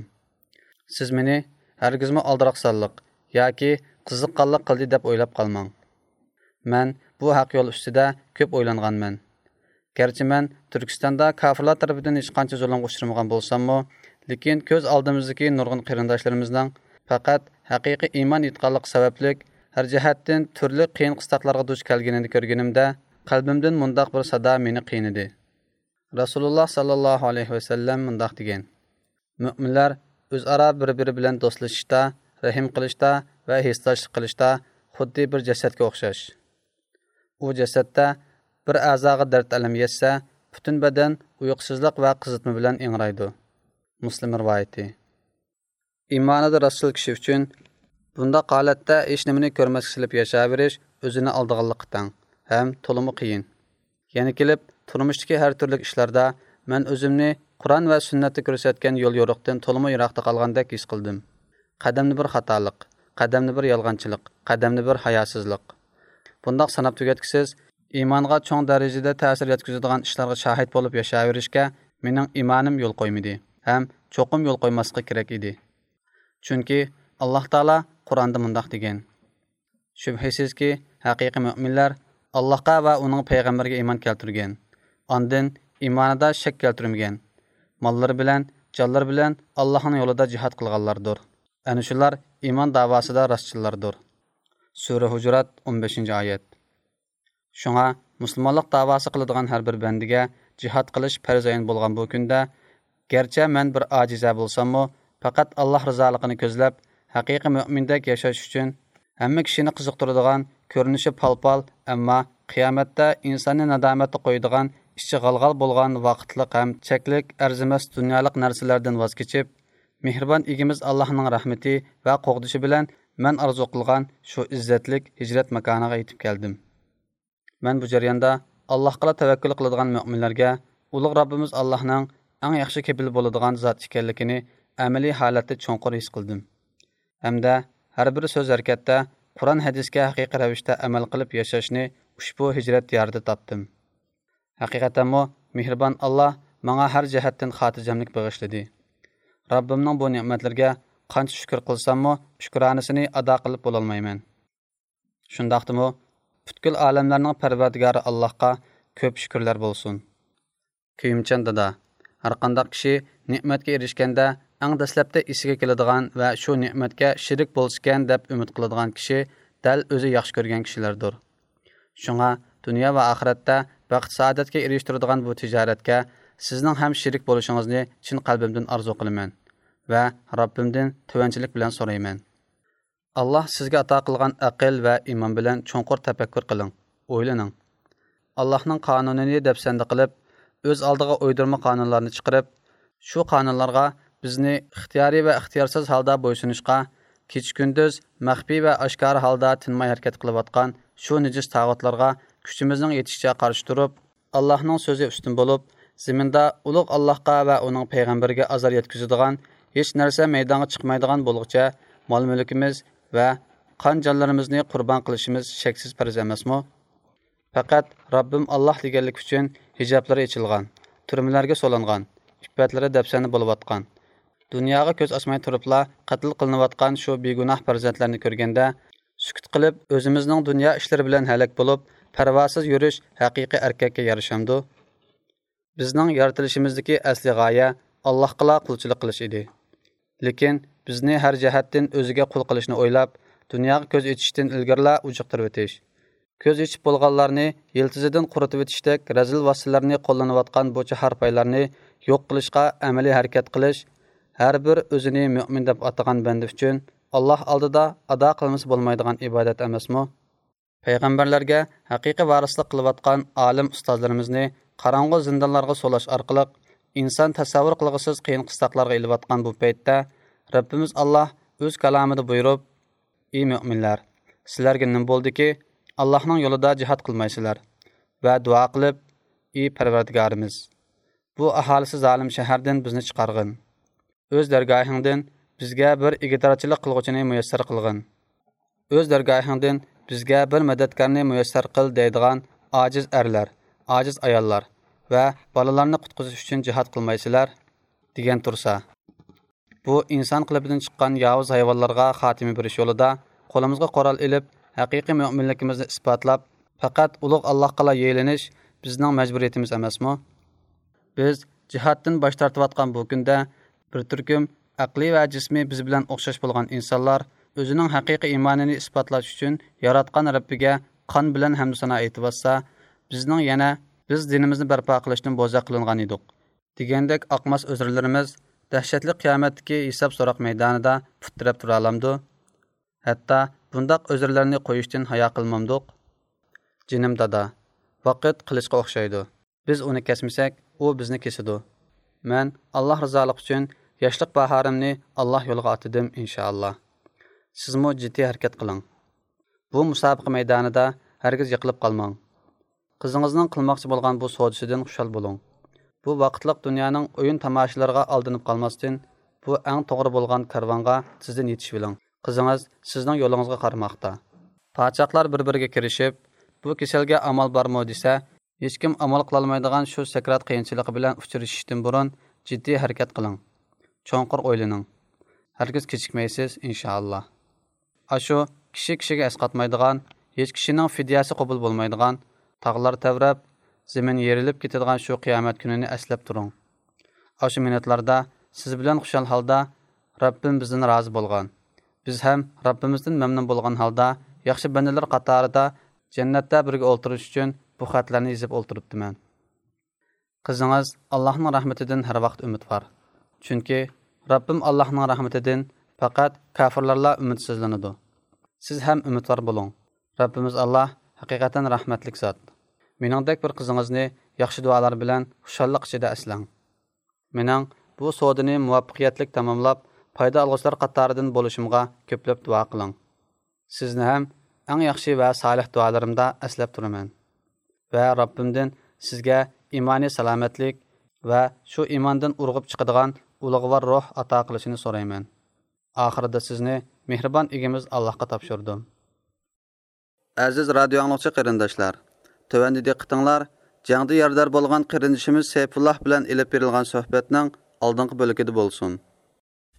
سىز مېنى ھەرگىزمۇ ئالدىراقسانلىق ياكى قىزىققانلىق قىلدى دەپ ئويلاپ قالماڭ. مەن بۇ ھەق يول ئۈستىدە كۆپ ئويلانغانمەن. گەرچە مەن تۈركىستاندا كاپىرلار تەرىپىدىن ھېچقانچە زۇلۇمغا ئۇچرىمىغان بولساممۇ، لېكىن كۆز ئالدىمىزدىكى نۇرغۇن قېرىنداشلىرىمىزنىڭ پەقەت ھەقىقىي ئىمان ئېيتقانلىقى سەۋەبلىك ھەر جەھەتتىن تۈرلۈك قىيىن قىستاقلارغا دۇچ كەلگىنىنى كۆرگىنىمدە، قەلبىمدىن مۇنداق بىر سادا مېنى قىينىدى. رەسۇلۇللاھ ساللاللاھۇ ئەلەيھى ۋەسەللەم مۇنداق دېگەن: مۆمىنلەر ئۆزئارا بىر-بىرى بىلەن دوستلىشىشتا، رەھىم قىلىشتا ۋە ھېسداشلىق قىلىشتا خۇددى بىر جەسەتكە ئوخشاش. ئۇ جەسەتتە بىر ئەزاغا دەرد-ئەلەم يەتسە، پۈتۈن بەدەن ئۇيقۇسىزلىق ۋە قىزىتما بىلەن ئىڭرايدۇ. مۇسلىم رىۋايىتى. ئىمانىدا راستچىل كىشى ئۈچۈن بۇنداق ھالەتتە ھېچنېمىنى كۆرمەسكە سېلىپ ياشاۋېرىش ئۆزىنى ئالدىغانلىققا تەڭ ھەم تولىمۇ قىيىن. يەنە كېلىپ، تۇرمۇشتىكى ھەر تۈرلۈك ئىشلاردا مەن ئۆزۈمنى قۇرئان ۋە سۈننەتتە كۆرسەتكەن يول يورۇقتىن تولىمۇ يىراقتا قالغاندەك ھېس قىلدىم. قەدەمدە بىر خاتالىق، قەدەمدە بىر يالغانچىلىق، قەدەمدە بىر ھاياسىزلىق. بۇنداق ساناپ تۈگەتكۈسىز، ئىمانغا چوڭ دەرىجىدە تەسىر يەتكۈزىدىغان ئىشلارغا شاھىت بولۇپ ياشاۋېرىشكە مېنىڭ ئىمانىم يول قويمىدى ھەم چوقۇم يول قويماسلىقى كېرەك ئىدى. چۈنكى ئاللاھ تائالا قۇرئاندا مۇنداق دېگەن: شۈبھىسىزكى، ھەقىقىي مۆمىنلەر ئاللاھقا ۋە ئۇنىڭ پەيغەمبىرىگە ئىمان كەلتۈرگەن، ئاندىن ئىمانىدا شەك كەلتۈرمىگەن، ماللىرى بىلەن، جانلىرى بىلەن ئاللاھنىڭ يولىدا جىھاد قىلغانلاردۇر. ئەنە شۇلار ئىمان داۋاسىدا راستچىللاردۇر. سۈرە ھۇجۇرات، ئون بەشىنچى ئايەت. شۇڭا مۇسۇلمانلىق داۋاسى قىلىدىغان ھەر بىر بەندىگە جىھاد قىلىش پەرز ئەين بولغان بۇ كۈندە، گەرچە مەن بىر ئاجىزە بولساممۇ، پەقەت ئاللاھ رىزالىقىنى كۆزلەپ، ھەقىقىي مۆمىندەك ياشاش ئۈچۈن، ھەممە كىشىنى قىزىقتۇرىدىغان، كۆرۈنۈشى پال-پال، ئەمما قىيامەتتە ئىنساننى نادامەتتە قويىدىغان، ئىچى غال-غال بولغان ۋاقىتلىق ھەم چەكلىك، ئەرزىمەس دۇنيالىق نەرسىلەردىن ۋاز كېچىپ، مېھرىبان ئىگىمىز ئاللاھنىڭ رەھمىتى ۋە قوغدىشى بىلەن مەن ئارزۇ قىلغان شۇ ئىززەتلىك ھىجرەت ماكانىغا يېتىپ كەلدىم. مەن بۇ جەرياندا ئاللاھقىلا تەۋەككۈل قىلىدىغان مۆمىنلەرگە ئۇلۇغ رەببىمىز ئاللاھنىڭ ئەڭ ياخشى كېپىل بولىدىغان زات ئىكەنلىكىنى ئەمەلىي ھالەتتە چوڭقۇر ھېس قىلدىم ھەمدە ھەر بىر سۆز ھەرىكەتتە قۇرئان ھەدىسكە ھەقىقىي رەۋىشتە ئەمەل قىلىپ ياشاشنى ئۇشبۇ ھىجرەت دىيارىدا تاپتىم. ھەقىقەتەنمۇ مېھرىبان ئاللاھ ماڭا ھەر جەھەتتىن خاتىرجەملىك بېغىشلىدى. رەببىمنىڭ بۇ نېمەتلىرىگە قانچە شۈكۈر قىلساممۇ، شۈكرانىسىنى ئادا قىلىپ بولالمايمەن. شۇنداقتىمۇ، پۈتكۈل ئالەملەرنىڭ پەرۋەردىگارى ئاللاھقا كۆپ شۈكۈرلەر بولسۇن. كۆيۈمچان دادا، ھەرقانداق كىشى نېمەتكە ئېرىشكەندە، ئەڭ دەسلەپتە ئېسىگە كېلىدىغان ۋە شۇ نېمەتكە شېرىك بولسىكەن دەپ ئۈمىد قىلىدىغان كىشى دەل ئۆزى ياخشى كۆرگەن كىشىلەردۇر. شۇڭا دۇنيا ۋە ئاخىرەتتە بەخت-سائادەتكە ئېرىشتۈرىدىغان بۇ تىجارەتكە سىزنىڭ ھەم شېرىك بولۇشىڭىزنى چىن قەلبىمدىن ئارزۇ قىلىمەن ۋە رەببىمدىن تۆۋەنچىلىك بىلەن سورايمەن. ئاللاھ سىزگە ئاتا قىلغان ئەقىل ۋە ئىمان بىلەن چوڭقۇر تەپەككۇر قىلىڭ، ئويلىنىڭ. ئاللاھنىڭ قانۇنىنى دەپسەندە قىلىپ، ئۆز ئالدىغا ئويدۇرما قانۇنلارنى چىقىرىپ، شۇ قانۇنلارغا بىزنى ئىختىيارىي ۋە ئىختىيارسىز ھالدا بويسۇنۇشقا، كېچە-كۈندۈز مەخپىي ۋە ئاشكارا ھالدا تىنماي ھەرىكەت قىلىۋاتقان شۇ نىجىس تاغۇتلارغا كۈچىمىزنىڭ يېتىشىچە قارشى تۇرۇپ، ئاللاھنىڭ سۆزى ئۈستۈن بولۇپ، زېمىندا ئۇلۇغ ئاللاھقا ۋە ئۇنىڭ پەيغەمبىرىگە ئازار يەتكۈزىدىغان ھېچ نەرسە مەيدانغا چىقمايدىغان بولغۇچە، مال-مۈلكىمىز ۋە قان-جانلىرىمىزنى قۇربان قىلىشىمىز شەكسىز پەرز ئەمەسمۇ؟ پەقەت رەببىم ئاللاھ دېگەنلىك ئۈچۈن ھىجابلىرى ئېچىلغان، تۈرمىلەرگە سولانغان، ئىپپەتلىرى دەپسەندە بولۇۋاتقان، دۇنياغا كۆز ئاچماي تۇرۇپلا قەتل قىلىنىۋاتقان شۇ بىگۇناھ پەرزەنتلەرنى كۆرگەندە، سۈكۈت قىلىپ، ئۆزىمىزنىڭ دۇنيا ئىشلىرى بىلەن ھەلەك بولۇپ، پەرۋاسىز يۈرۈش ھەقىقىي ئەركەككە يارىشامدۇ؟ بىزنىڭ يارىتىلىشىمىزدىكى ئەسلىي غايە ئاللاھقىلا قۇلچىلىق قىلىش ئىدى. لېكىن بىزنى ھەر جەھەتتىن ئۆزىگە قۇل قىلىشنى ئويلاپ، دۇنياغا كۆز ئېچىشتىن ئىلگىرىلا ئۇجۇقتۇرۇۋېتىش، كۆز ئېچىپ بولغانلارنى يىلتىزىدىن قۇرۇتۇۋېتىشتەك رەزىل ۋاسىتىلەرنى قوللىنىۋاتقان بۇ چاھار پايلارنى يوق قىلىشقا ئەمەلىي ھەرىكەت قىلىش ھەر بىر ئۆزىنى مۆمىن دەپ ئاتىغان بەندە ئۈچۈن ئاللاھ ئالدىدا ئادا قىلمىسا بولمايدىغان ئىبادەت ئەمەسمۇ؟ پەيغەمبەرلەرگە ھەقىقىي ۋارىسلىق قىلىۋاتقان ئالىم ئۇستازلىرىمىزنى قاراڭغۇ زىندانلارغا سولاش ئارقىلىق، ئىنسان تەسەۋۋۇر قىلغۇسىز قىيىن قىستاقلارغا ئېلىۋاتقان بۇ پەيتتە، رەببىمىز ئاللاھ ئۆز كالامىدا بۇيرۇپ، ئى مۆمىنلەر، سىلەرگە نېمە بولدىكى، ئاللاھنىڭ يولىدا جىھاد قىلمايسىلەر ۋە دۇئا قىلىپ، ئى پەرۋەردىگارىمىز، بۇ ئاھالىسى زالىم شەھەردىن بىزنى چىقارغىن. ئۆز دەرگاھىڭدىن بىزگە بىر ئىگىدارچىلىق قىلغۇچىنى مۇيەسسەر قىلغىن. ئۆز دەرگاھىڭدىن بىزگە بىر مەدەتكارنى مۇيەسسەر قىل دەيدىغان ئاجىز ئەرلەر، ئاجىز ئاياللار ۋە بالىلارنى قۇتقۇزۇش ئۈچۈن جىھاد قىلمايسىلەر؟ دېگەن تۇرسا، بۇ ئىنسان قېلىپىدىن چىققان ياۋۇز ھايۋانلارغا خاتىمە بېرىش يولىدا قولىمىزغا قورال ئېلىپ، ھەقىقىي مۆمىنلىكىمىزنى ئىسپاتلاپ، پەقەت ئۇلۇغ ئاللاھقىلا يېلىنىش بىزنىڭ مەجبۇرىيىتىمىز ئەمەسمۇ؟ بىز جىھادتىن باش تارتىۋاتقان بۇ كۈندە، بىر تۈركۈم ئەقلى ۋە جىسمى بىز بىلەن ئوخشاش بولغان ئىنسانلار ئۆزىنىڭ ھەقىقىي ئىمانىنى ئىسپاتلاش ئۈچۈن ياراتقان رەببىگە قان بىلەن ھەمدۇسانا ئېيتىۋاتسا، بىزنىڭ يەنە «بىز دىنىمىزنى بەرپا قىلىشتىن بوزەك قىلىنغان ئىدۇق» دېگەندەك ئاقماس ئۆزرىلىرىمىز دەھشەتلىك قىيامەتتىكى ھېساب-سوراق مەيدانىدا پۇت تىرەپ تۇرالامدۇ؟ ھەتتا بۇنداق ئۆزرىلەرنى قويۇشتىن ھايا قىلمامدۇق؟ جېنىم دادا، ۋاقىت قىلىچقا ئوخشايدۇ. بىز ئۇنى كەسمىسەك، ئۇ بىزنى كېسىدۇ. مەن ئاللاھ رىزالىقى ئۈچۈن ياشلىق باھارىمنى ئاللاھ يولىغا ئاتىدىم، ئىنشائاللاھ. سىزمۇ جىددىي ھەرىكەت قىلىڭ. بۇ مۇسابىقە مەيدانىدا ھەرگىز يىقىلىپ قالماڭ. قىزىڭىزنىڭ قىلماقچى بولغان بۇ سودىسىدىن خۇشال بولۇڭ. بۇ ۋاقىتلىق دۇنيانىڭ ئويۇن تاماشىلىرىغا ئالدىنىپ قالماستىن، بۇ ئەڭ توغرا بولغان كارۋانغا تېزدىن يېتىشىۋېلىڭ. قىزىڭىز سىزنىڭ يولىڭىزغا قارىماقتا. پاچاقلار بىر-بىرىگە كىرىشىپ، بۇ كېسەلگە ئامال بارمۇ دېسە، ھېچكىم ئامال قىلالمايدىغان شۇ سەكرات قىيىنچىلىقى بىلەن ئۇچرىشىشتىن بۇرۇن جىددىي ھەرىكەت قىلىڭ. چوڭقۇر ئويلىنىڭ. ھەرگىز كېچىكمەيسىز، ئىنشائاللا. ئاشۇ كىشى كىشىگە ئەسقاتمايدىغان، ھېچ كىشىنىڭ فىدىيەسى قوبۇل بولمايدىغان، تاغلار تەۋرەپ، زېمىن يېرىلىپ كېتىدىغان شۇ قىيامەت كۈنىنى ئەسلەپ تۇرۇڭ. ئاشۇ مىنۇتلاردا سىز بىلەن خۇشال ھالدا، رەببىم بىزدىن رازى بولغان، بىز ھەم رەببىمىزدىن مەمنۇن بولغان ھالدا ياخشى بەندىلەر قاتارىدا جەننەتتە بىرگە ئولتۇرۇش ئۈچۈن بۇ خەتلەرنى يېزىپ ئولتۇرۇپتىمەن. قىزىڭىز ئاللاھنىڭ رەھمىتىدىن ھەر ۋاقىت ئۈمىدۋار. چۈنكى رەببىم ئاللاھنىڭ رەھمىتىدىن پەقەت كاپىرلارلا ئۈمىدسىزلىنىدۇ. سىز ھەم ئۈمىدۋار بولۇڭ. رەببىمىز ئاللاھ ھەقىقەتەن رەھمەتلىك زات. مېنىڭدەك بىر قىزىڭىزنى ياخشى دۇئالار بىلەن خۇشاللىق ئىچىدە ئەسلەڭ. مېنىڭ بۇ سودىنى مۇۋەپپەقىيەتلىك تاماملاپ، پايدا ئالغۇچىلار قاتارىدىن بولۇشۇمغا كۆپلەپ دۇئا قىلىڭ. سىزنى ھەم ئەڭ ياخشى ۋە سالىھ دۇئالىرىمدا ئەسلەپ تۇرىمەن. ۋە رەببىمدىن سىزگە ئىمانىي سالامەتلىك ۋە شۇ ئىماندىن ئۇرغۇپ چىقىدىغان ئۇلۇغۋار روھ ئاتا قىلىشىنى سورايمەن. ئاخىرىدا سىزنى مېھرىبان ئىگىمىز ئاللاھقا تاپشۇردۇم. ئەزىز رادىيو ئاڭلىغۇچى قېرىنداشلار، تۆۋەندە دىققىتىڭلار جەڭدە يارىدار بولغان قېرىندىشىمىز سەيپۇللاھ بىلەن ئېلىپ بېرىلغان سۆھبەتنىڭ ئالدىنقى بۆلىكىدە بولسۇن.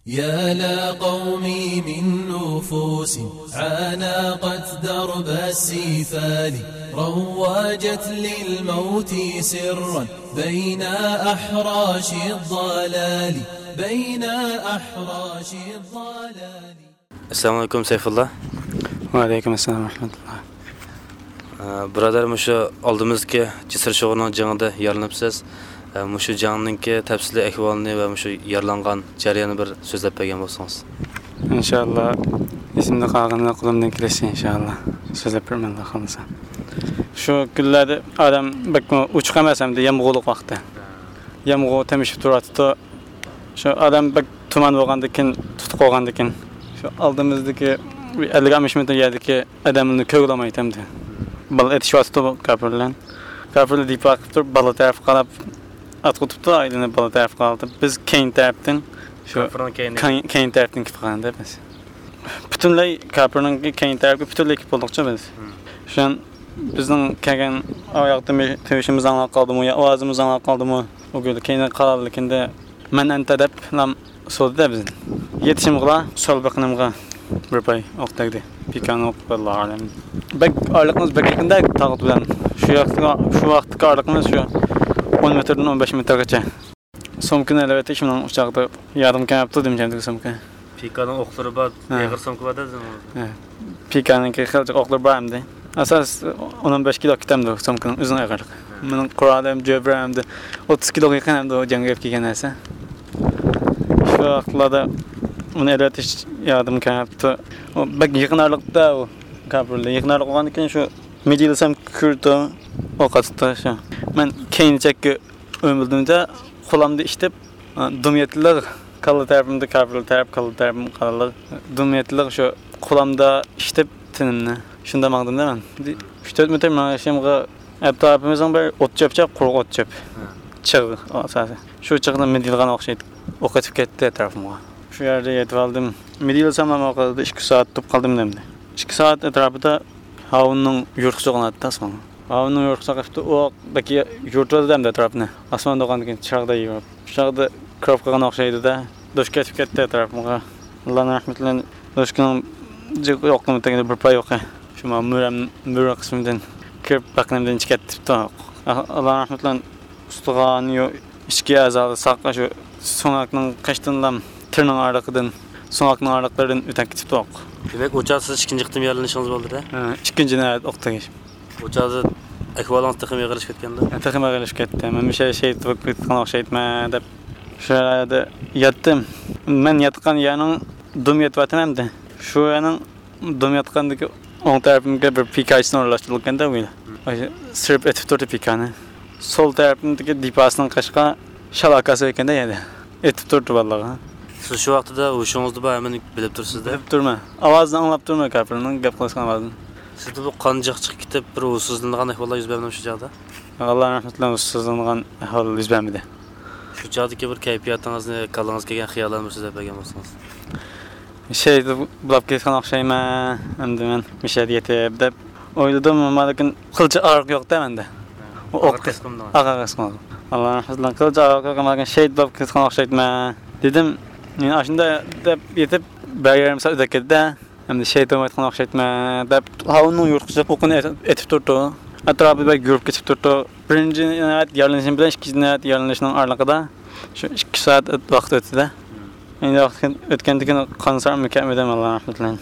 يا لقومي من نفوس عانقت درب السفال، روجت للموت سرا بين أحراش الضلال، بين أحراش الضلال. ئەسسالامۇ ئەلەيكۇم سەيفۇللا. ۋەئەلەيكۇم ئەسسالام رەھمەتۇللا. ئە، بۇرادەر، مۇشۇ ئالدىمىزدىكى جىسىر شوغۇرنىڭ جېڭىدە يارىلىنىپسىز. ئە، مۇشۇ جەڭنىڭكى تەپسىلىي ئەھۋالىنى ۋە مۇشۇ يارىلانغان جەرياننى بىر سۆزلەپ بەرگەن بولسىڭىز. ئىنشائاللا، ئېسىمدە قالغىنىنى قولۇمدىن كېلىشىچە ئىنشائاللا سۆزلەپ بېرىمەن، ئاللا خالىسا. شۇ كۈنلەردە ئادەم بەكمۇ ئوچۇق ئەمەس ئەمدى، يامغۇرلۇق ۋاقتى. يامغۇر تېمىشىپ تۇراتتى. شۇ ئادەم بەك تۇمان بولغاندىكىن، تۇتۇق بولغاندىكىن، شۇ ئالدىمىزدىكى بىر ئەللىك ئاتمىش مېتىر يەردىكى ئادەملەرنى كۆرگىلى بولمايتتى ئەمدى. بالا ئېتىشىۋاتىپتۇ بۇ كاپىرلار. كاپىرلار دىپا قىلىپ تۇرۇپ، بالا تەرەپكە قاراپ ئاتقۇتۇپتۇ، ئايلىنىپ بالا تەرەپكە قاراپ. بىز كەينى تەرەپتىن، شۇ كاپىرنىڭ كەينى. كەينى، كەينى تەرەپتىن كېلىپ قالغان بىز. پۈتۈنلەي كاپىرنىڭكى كەينى تەرەپكە پۈتۈنلەي كېلىپ بولدۇقچۇ بىز. شۇ بىزنىڭ كەلگەن ئاياغ تىۋىشىمىز ئاڭلاپ قالدىمۇ يا ئاۋازىمىز ئاڭلاپ قالدىمۇ، ئۇ كۈنى كەينىگە قارالغىنىكىندە، مەن ئەنتە دەپ سودىدە بىزنى. يېتىشىمغىلا سول بېقىنىمغا بىر پاي ئوق تەگدى. پىكانىڭ ئوقى، ۋاللاھۇ ئەلەم. بەك ئارىلىقىمىز بەك يېقىندا تاغۇت بىلەن. شۇ ۋاقىتقا، شۇ ۋاقىتتىكى ئارىلىقىمىز شۇ ئون مېتىردىن ئون بەش مېتىرغىچە. سومكىنى ئېلىۋېتىش مېنىڭ ئۇ چاغدا يادىمغا كەلمەپتۇ، دېمىشەمدىكى سومكا. پىكانىڭ ئوقلىرى بار، ھە. ئېغىر سومكا بار-دە، ھە. پىكانىڭكى خېلى ئوقلىرى بار ئەمدى. ئاساس ئون ئون بەش كىلو كېتەمدۇ سومكىنىڭ ئۆزىنىڭ ئېغىرلىقى. مېنىڭ قورالىم، جۆبرەم ئەمدى ئوتتۇز كىلوغا يېقىن ئەمدى ئۇ جەڭگە ئېلىپ كەلگەن نەرسە. شۇ ۋاقىتلاردا ئۇنى ئېلىۋېتىش يادىمغا كەلمەپتۇ. ئۇ بەك يېقىن ئارىلىقتا ئۇ كاپىرلار. يېقىن ئارىلىق بولغاندىن كېيىن شۇ مىدىرلىسام كۆرۈپتۇ، ئوق ئاتىپتۇ شۇ. مەن كەينى چەتكە ئۆمىلىدىم-دە، قولامدا ئىشتىپ، دۇم يەتتىلىق كاللا تەرىپىمدە كاپىرلار تەرەپ، كاللا تەرىپىم كاللا. دۇم يەتتىلىق شۇ قولامدا ئىشتىپ تېنىمنى. شۇنداق ماڭدىم-دە مەن. ئۈچ تۆت مېتىر مېڭىشىمغا ئەتراپىمىزنىڭ بىر ئوت چۆپ، قۇرۇق ئوت چۆپ. چىغ ئاساسى. شۇ چىغنى مىدىرلىغان ئوخشايدۇ. ئوق ئېتىپ كەتتى ئەتراپىمغا. شۇ يەردە يېتىۋالدىم. مىدىرلىسام ئەمما ئۇ قەدەردە ئىككى سائەت تۇرۇپ قالدىم ئەمدى. ئىككى سائەت ئەتراپىدا ھاۋۇننىڭ يورۇقىسى چوقۇناتتى ئاسمانغا. ھاۋۇننىڭ يورۇقىسى چىقىپتۇ، ئۇ بەك يورۇتۇۋاتىدۇ ئەمدى ئەتراپنى. ئاسمان تۇرغاندىن كېيىن چىراغدا يورۇپ. چىراغدا كىرىپ قالغان ئوخشايدۇ-دە. دوشكا ئېتىپ كەتتى ئەتراپىمغا. ئاللانىڭ رەھمىتى بىلەن دوشكىنىڭ ئوقنىڭ تېگىدە بىر پاي ئوقى. شۇ مانا مۈرەم، مۈرە قىسمىدىن كىرىپ، بەقىنىمدىن چىقىپ كەتتى ئوق. ئاللانىڭ رەھمىتى بىلەن ئۇستىخانى يو-، ئىچكى ئەزالىرى ساق شۇ سۆڭەكنىڭ قېشىدىنلا تىرنىڭ ئارىلىقىدىن، سۆڭەكنىڭ ئارىلىقلىرىدىن ئۆتۈپ كېتىپتۇ. دېمەك، ئۇ چاغ سىز ئىككىنچى قېتىم يارىلىنىشىڭىز بولدى-دە؟ ھە، ئىككىنچى نۆۋەت ئوق تېگىش. ئۇ چاغدا ئەھۋالىڭىز تېخىمۇ ئېغىرلىشىپ كەتكەندۇ؟ ھە، تېخىمۇ ئېغىرلىشىپ كەتتى. مەن مۇشۇ شېھىت بولۇپ كېتىدىغان ئوخشايدىمەن دەپ، شۇ يەردە ياتتىم. مەن ياتقان يەرنىڭ دۇم يېتىۋاتىمەن ئەمدى. شۇ يەرنىڭ دۇم ياتقاندىكى ئوڭ تەرىپىمگە بىر پىكاچىسىنى ئورۇنلاشتۇرۇلغاندا، ئۇ سىرىپ ئېتىپ تۇردى پىكانى. سول تەرىپىمدىكى دىپاسىنىڭ قېشىغا شال ئاكاسى ئىكەندە يەنە ئېتىپ تۇردى بالىلارغا. سىز شۇ ۋاقتىدا ھوشىڭىزدا بار، ھەممىنى بىلىپ تۇرسىز-دە. بىلىپ تۇرىمەن. ئاۋازىنى ئاڭلاپ تۇرىمەن كاپىرنىڭ گەپ قىلىشقان ئاۋازىنى. سىزدە بۇ قان جىق چىقىپ كېتىپ، بىر ھوشسىزلىنىدىغان ئەھۋاللار يۈز بەرمەمشۇ چاغدا؟ ئاللا رەھمىتى بىلەن ھوشسىزلىنىدىغان ئەھۋال يۈز بەرمىدى. شۇ چاغدىكى بىر كەيپىياتىڭىزنى، كاللىڭىزغا كەلگەن خىياللارنى بىر سۆزلەپ بەرگەن بولسىڭىز. شېھىت بولاپ كېتىدىغان ئوخشايمەن، ئەمدى مەن مۇشۇ يەرگە يېتىپ دەپ ئويلىدىم، ئەمما لېكىن قىلچە ئاغرىق يوق-دە مەندە. ئۇ ئاغرىق ھېس قىلمىدىڭىز؟ ئاغرىق ھېس قىلمىدىم. ئاللا رەھمىتى بىلەن قىلچە ئاغرىق يوق، ئەمما لېكىن شېھىت بولاپ كېتىدىغان ئوخشايتتىمەن دېدىم. مېنى ئاشۇنداق دەپ يېتىپ بىر يېرىم سائەت ئۆتۈپ كەتتى-دە. ئەمدى شېھىت بولمايدىغان ئوخشايتتىمەن دەپ، ھاۋۇننىڭ يورۇقىچە ئوقىنى ئېتىپ، ئېتىپ تۇرۇپتۇ. ئەتراپى بەك يورۇپ كېتىپ تۇرۇپتۇ. بىرىنچى ناھايەت يارىلىنىشىم بىلەن ئىككىنچى ناھايەت يارىلىنىشنىڭ ئارىلىقىدا شۇ ئىككى سائەت ۋاقىت ئۆتتى-دە. ئەمدى ۋاقىت ئۆتكەندىن كېيىن قان سارىمۇ كەتمىدىم، ئاللا رەھمىتى بىلەن.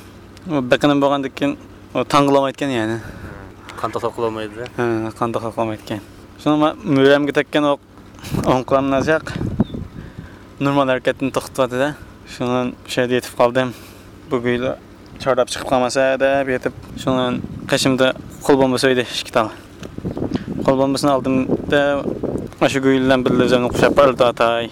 ئۇ بېقىنىم بولغاندىن كېيىن ئۇ تاڭ قىلالمايدىكەن يەنى. قان توختاپ قالالمايدۇ. ھە، قان توختاپ قالمايدىكەن. شۇڭا مەن مۈرەمگە تەگكەن ئوق ئوڭ قولۇمنى ئازراق نورمال ھەرىكەتنى توختىتىۋاتىدۇ. شۇنىڭ شۇ يەردە يېتىپ قالدىم. بۇ گۇيلا چارلاپ چىقىپ قالماسا دەپ يېتىپ، شۇنىڭ قېشىمدا قول بومبىسى ئىدى، ئىككى تال. قول بومبىسىنى ئالدىم-دە، ئاشۇ گۇيلا بىلەن بىللە ئۆزۈمنى قۇچاپ پارلىتىۋاتاي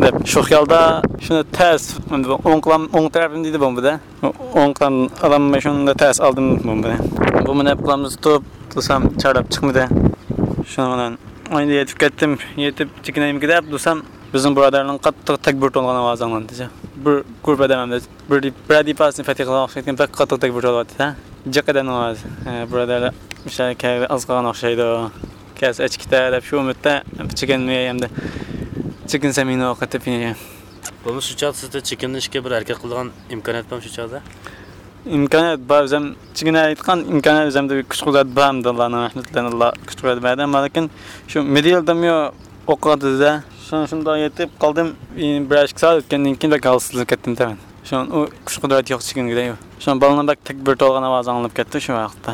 دەپ، شۇ خىيالدا شۇنى تەس، ئوڭ قولۇم، ئوڭ تەرىپىم دېدى بومبىدا. ئوڭ قولۇم ئالالماي شۇندا تەس ئالدىم بومبىنى. بومبىنى ئەپ قولۇمدا تۇتۇپ تۇرسام، چارلاپ چىقمىدى. شۇنىڭ بىلەن ئايدا يېتىپ كەتتىم. يېتىپ چېكىنەيمىكى دەپ تۇرسام، بىزنىڭ بۇرادەرنىڭ قاتتىق تەكبىر تولغان ئاۋازى ئاڭلاندى. بىر گۇرۇپپا ئادەم ئەمدى بىر، بىرەر دېپاسىنى پەتھى قىلغان ئوخشايدىكەن، بەك قاتتىق تەكبىر تولۇۋاتىدۇ. جىق ئادەمنىڭ ئاۋازى. ھە، بۇرادەرلەر مۇشۇ كەلگىلى ئاز قالغان ئوخشايدۇ. كەلسە ئەچىپ كېتە دەپ شۇ ئۈمىدتە چېكىنمەي ئەمدى. چېكىنسەم يەنە ئوق ئېتىپ يەنە. بولمىسا شۇ چاغدا سىزدە چېكىنىشكە بىر ھەرىكەت قىلىدىغان ئىمكانىيەت بارمۇ شۇ چاغدا؟ ئىمكانىيەت بار، ئۆزۈم چېكىنەلەيدىغان ئىمكانىيەت ئۆزۈمدە كۈچ قۇدرەت بار ئەمدى، ئاللانىڭ رەھمىتى بىلەن ئاللا كۈچ قۇدرەت بەردى. ئەمما لېكىن شۇ مىدىرلىدىمۇ ئوق ئاتىدۇ-دە. شۇ، شۇنداق يېتىپ قالدىم. بىر ئىككى سائەت ئۆتكەندىن كېيىن بەك ھالسىزلىنىپ كەتتىم تەمەن. شۇ ئۇ كۈچ قۇدرەت يوق چېكىنگۈدەك. شۇ بالىنىڭ بەك تەكبىر تولغان ئاۋازى ئاڭلىنىپ كەتتى شۇ ۋاقىتتا.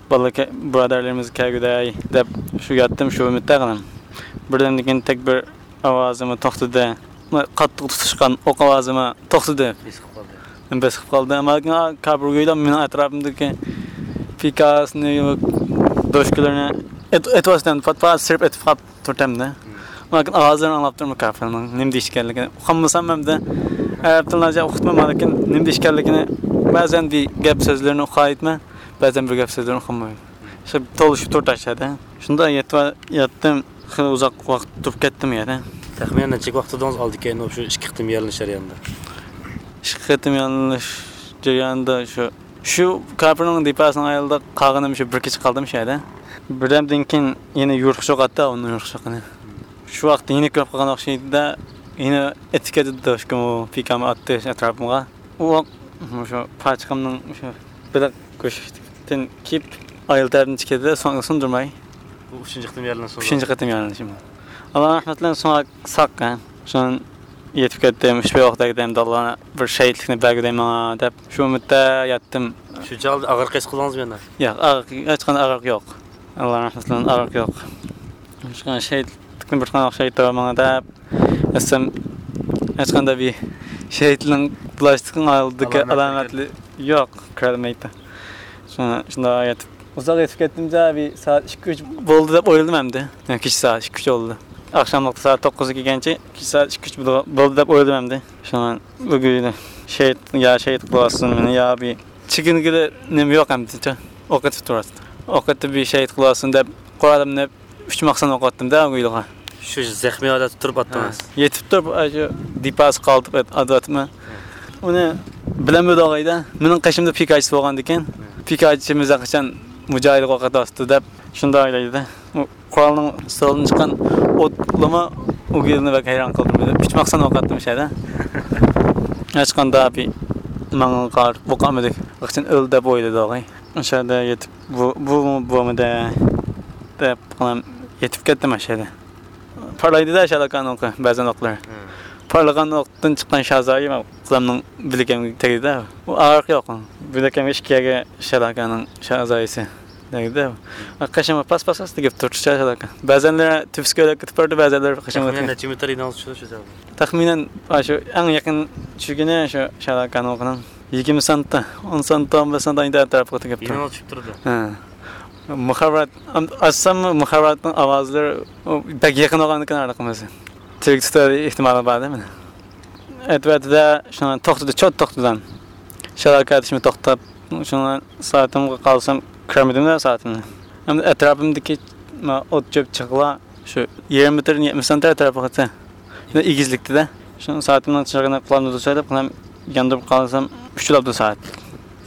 بالىلار كە-، بۇرادەرلىرىمىز كەلگۈدەي دەپ شۇ ياتتىم، شۇ ئۈمىدتە قالدىم. بىردەمدىن كېيىن تەكبىر ئاۋازىمۇ توختىدى. قاتتىق تۇتۇشقان ئوق ئاۋازىمۇ توختىدى. بېسىقىپ قالدى. بېسىقىپ قالدى. ئەمما لېكىن كاپىر گۇيلا مېنىڭ ئەتراپىمدىكى پىكاسنى، دوشكىلىرىنى ئېت-، ئېتىۋاتىدۇ، پات-پات سىرىپ ئېتىپ قاپ تۇرۇتتى. لېكىن ئاۋازلىرىنى ئاڭلاپ تۇرىمەن كاپىرنىڭ نېمە دەيدىكەنلىكىنى. ئۇقالمىسام ئەمدى ئەرەب تىلىنى ئۇقۇپتىمەن، لېكىن نېمە دەيدىكەنلىكىنى بەزەن بىر گەپ سۆزلىرىنى ئۇقالايتتىمەن، بەزەن بىر گەپ سۆزلىرىنى ئۇقالمايمەن. شۇ تولۇشۇپ تۇرۇتتى ئاشۇ يەردە. شۇنداق يېتىپ ياتتىم. خېلى ئۇزاق ۋاقىت تۇرۇپ كەتتىم يەنە. تەخمىنەن نەچچە ۋاقىت تۇردىڭىز ئالدى كەينى شۇ ئىككى قېتىم يارىلىنىش جەريانىدا؟ ئىككى قېتىم يارىلىنىش جەريانىدا شۇ، شۇ كاپىرنىڭ دېپاسىنىڭ ئايىلىدا قالغىنىم شۇ بىر كېچە قالدىم شۇ يەردە. بىردەمدىن كېيىن يەنە يورۇق شوق ئاتتى، ئۇنىڭ يورۇق شوقىنى. شۇ ۋاقىتتا يەنە كۆرۈپ قالغان ئوخشايدۇ-دە، يەنە ئېتىپ كەتتى دوشكىمۇ، پىكامۇ ئاتتى ئەتراپىمغا. ئۇ مۇشۇ پاچىقىمنىڭ مۇشۇ بېلىق گۆشتىن كېيىپ، ئايال تەرەپتىن چىقىدۇ، سۇندۇرماي. بۇ ئۈچىنچى قېتىم يارىلىنىش. ئۈچىنچى قېتىم يارىلىنىشىم. ئاللا رەھمەت بىلەن ساق، ھە. شۇنى يېتىپ كەتتىم، ئۈچ بەي ئوق تەگدى، ئەمدى ئاللا بىر شېھىتلىكنى بەرگۈدەيماڭ دەپ، شۇ ئۈمىدتە ياتتىم. شۇ چاغدا ئاغرىق ھېس قىلدىڭىزمۇ يەنە؟ ياق، ئاغرىق، ھېچقانداق ئاغرىق يوق. ئاللا رەھمەت بىلەن ئاغرىق يوق. شۇڭا شېھىتلىكنى بىر قانچە ئوخشايتتى ماڭا دەپ، ئەسلىم ھېچقانداق بىر شېھىتنىڭ بۇلاشتىكىنىڭ ئالدىدىكى ئالامەتلىرى يوق، كۆرەلمەيتتى. شۇڭا شۇنداق يېتىپ، ئۇزاق يېتىپ كەتتىمچە، بىر سائەت ئىككى، ئۈچ بولدى دەپ ئويلىدىم ئەمدى. كېچە سائەت ئىككى، ئۈچ بولدى. ئاخشاملىقتا سائەت توققۇزغا كەلگەنچە، كېچە سائەت ئىككى، ئۈچ بولدى دەپ ئويلىدىم ئەمدى. شۇڭا بۈگۈن شېھىت، يا شېھىت قىلىۋاتسۇن مېنى، يا بىر چېكىنگىلى نېمە يوق ئەمدىچە. ئوق ئېتىپ تۇراتتى. ئوق ئېتىپ بىر شېھىت قىلىۋاتسۇن دەپ قورالىمنى ئۈچ ماخسان ئوق ئاتتىم-دە ئۇ يىلغا. شۇ زەخمىي ھالەتتە تۇرۇپ ئاتتىڭىز؟ ھە. يېتىپ تۇرۇپ، ئاشۇ دېپاسى قالتىپ ئات-، ئاتىۋاتىمەن. ئۇنى بىلەلمىدى ئوغايدا. مېنىڭ قېشىمدا پىكاچىسى بولغاندىكىن، پىكاچىمىز قاچان مۇجاھىدقا ئوق ئاتىۋاتىدۇ دەپ شۇنداق ئويلايدۇ. ئۇ قورالنىڭ ستولىدىن چىققان ئوتلىما ئۇ يىلنى بەك ھەيران قالدىم. ئۈچ ماخسان ئوق ئاتتىم شەدە. ھېچقانداق بىر ماڭا قارىتىپ ئوق ئاتمىدى. قاچان ئۆلدى دەپ ئويلىدى ئوغاي. ئاشۇ يەردە يېتىپ، بۇ، بۇ، بۇمىدە دەپ، يېتىپ كەتتىم ئاشۇ يەردە. پارلايدۇ-دە شالاكان ئوقى، بەزەن ئوقلار. پارلىغان ئوقتىن چىققان شازايى قولۇمنىڭ بىلىكىمگە تەگدى-دە. ئۇ ئاغرىق يوق. بىلىكىمگە ئىككى يەرگە شالاكاننىڭ شازايىسى تەگدى-دە. قېشىمغا پاس-پاس-پاس تېگىپ تۇرۇپتۇ شالاكان. بەزەنلىرى تۈپۈسكە ئۆلۈپ كېتىپ بارىدۇ، بەزەنلىرى قېشىمغا. تەخمىنەن نەچچە مېتىر ئىدىڭىز شۇ، شۇ جايغا؟ تەخمىنەن ئاشۇ ئەڭ يېقىن چۈشكىنى شۇ شالاكان ئوقىنىڭ. يىگىرمە سانتى، ئون سانتى، ئون بەش سانتى ئەينى ئەتراپىغا تېگىپتۇ. يېنىڭىز چۈشۈپ تۇرىدۇ. ھە. مۇخابىرات، ئاچسام مۇخابىراتنىڭ ئاۋازلىرى، ئۇ بەك يېقىن بولغاندىكىن ھېلىقىمىز. تىرىك تۇتار ئېھتىمالى بار-دە مېنى. ئەتىۋەتىدە شۇڭا توختىدى، چوت توختىدى. شالاكا ئېتىشمۇ توختاپ، شۇڭا سائىتىمغا قارىسام، كۆرمىدىمدە سائىتىمنى. ئەمدى ئەتراپىمدىكى ما ئوت چۆپ چىغىلار شۇ يىگىرمە مېتىردىن يەتمىش سانتى ئەتراپىغىچە. شۇ ئېگىزلىكتىدە. شۇ سائىتىمنىڭ چىرىغىنى قىلامدۇ دەپ قىلام، ياندۇرۇپ قارىسام، ئۈچ بولاپتۇ سائەت.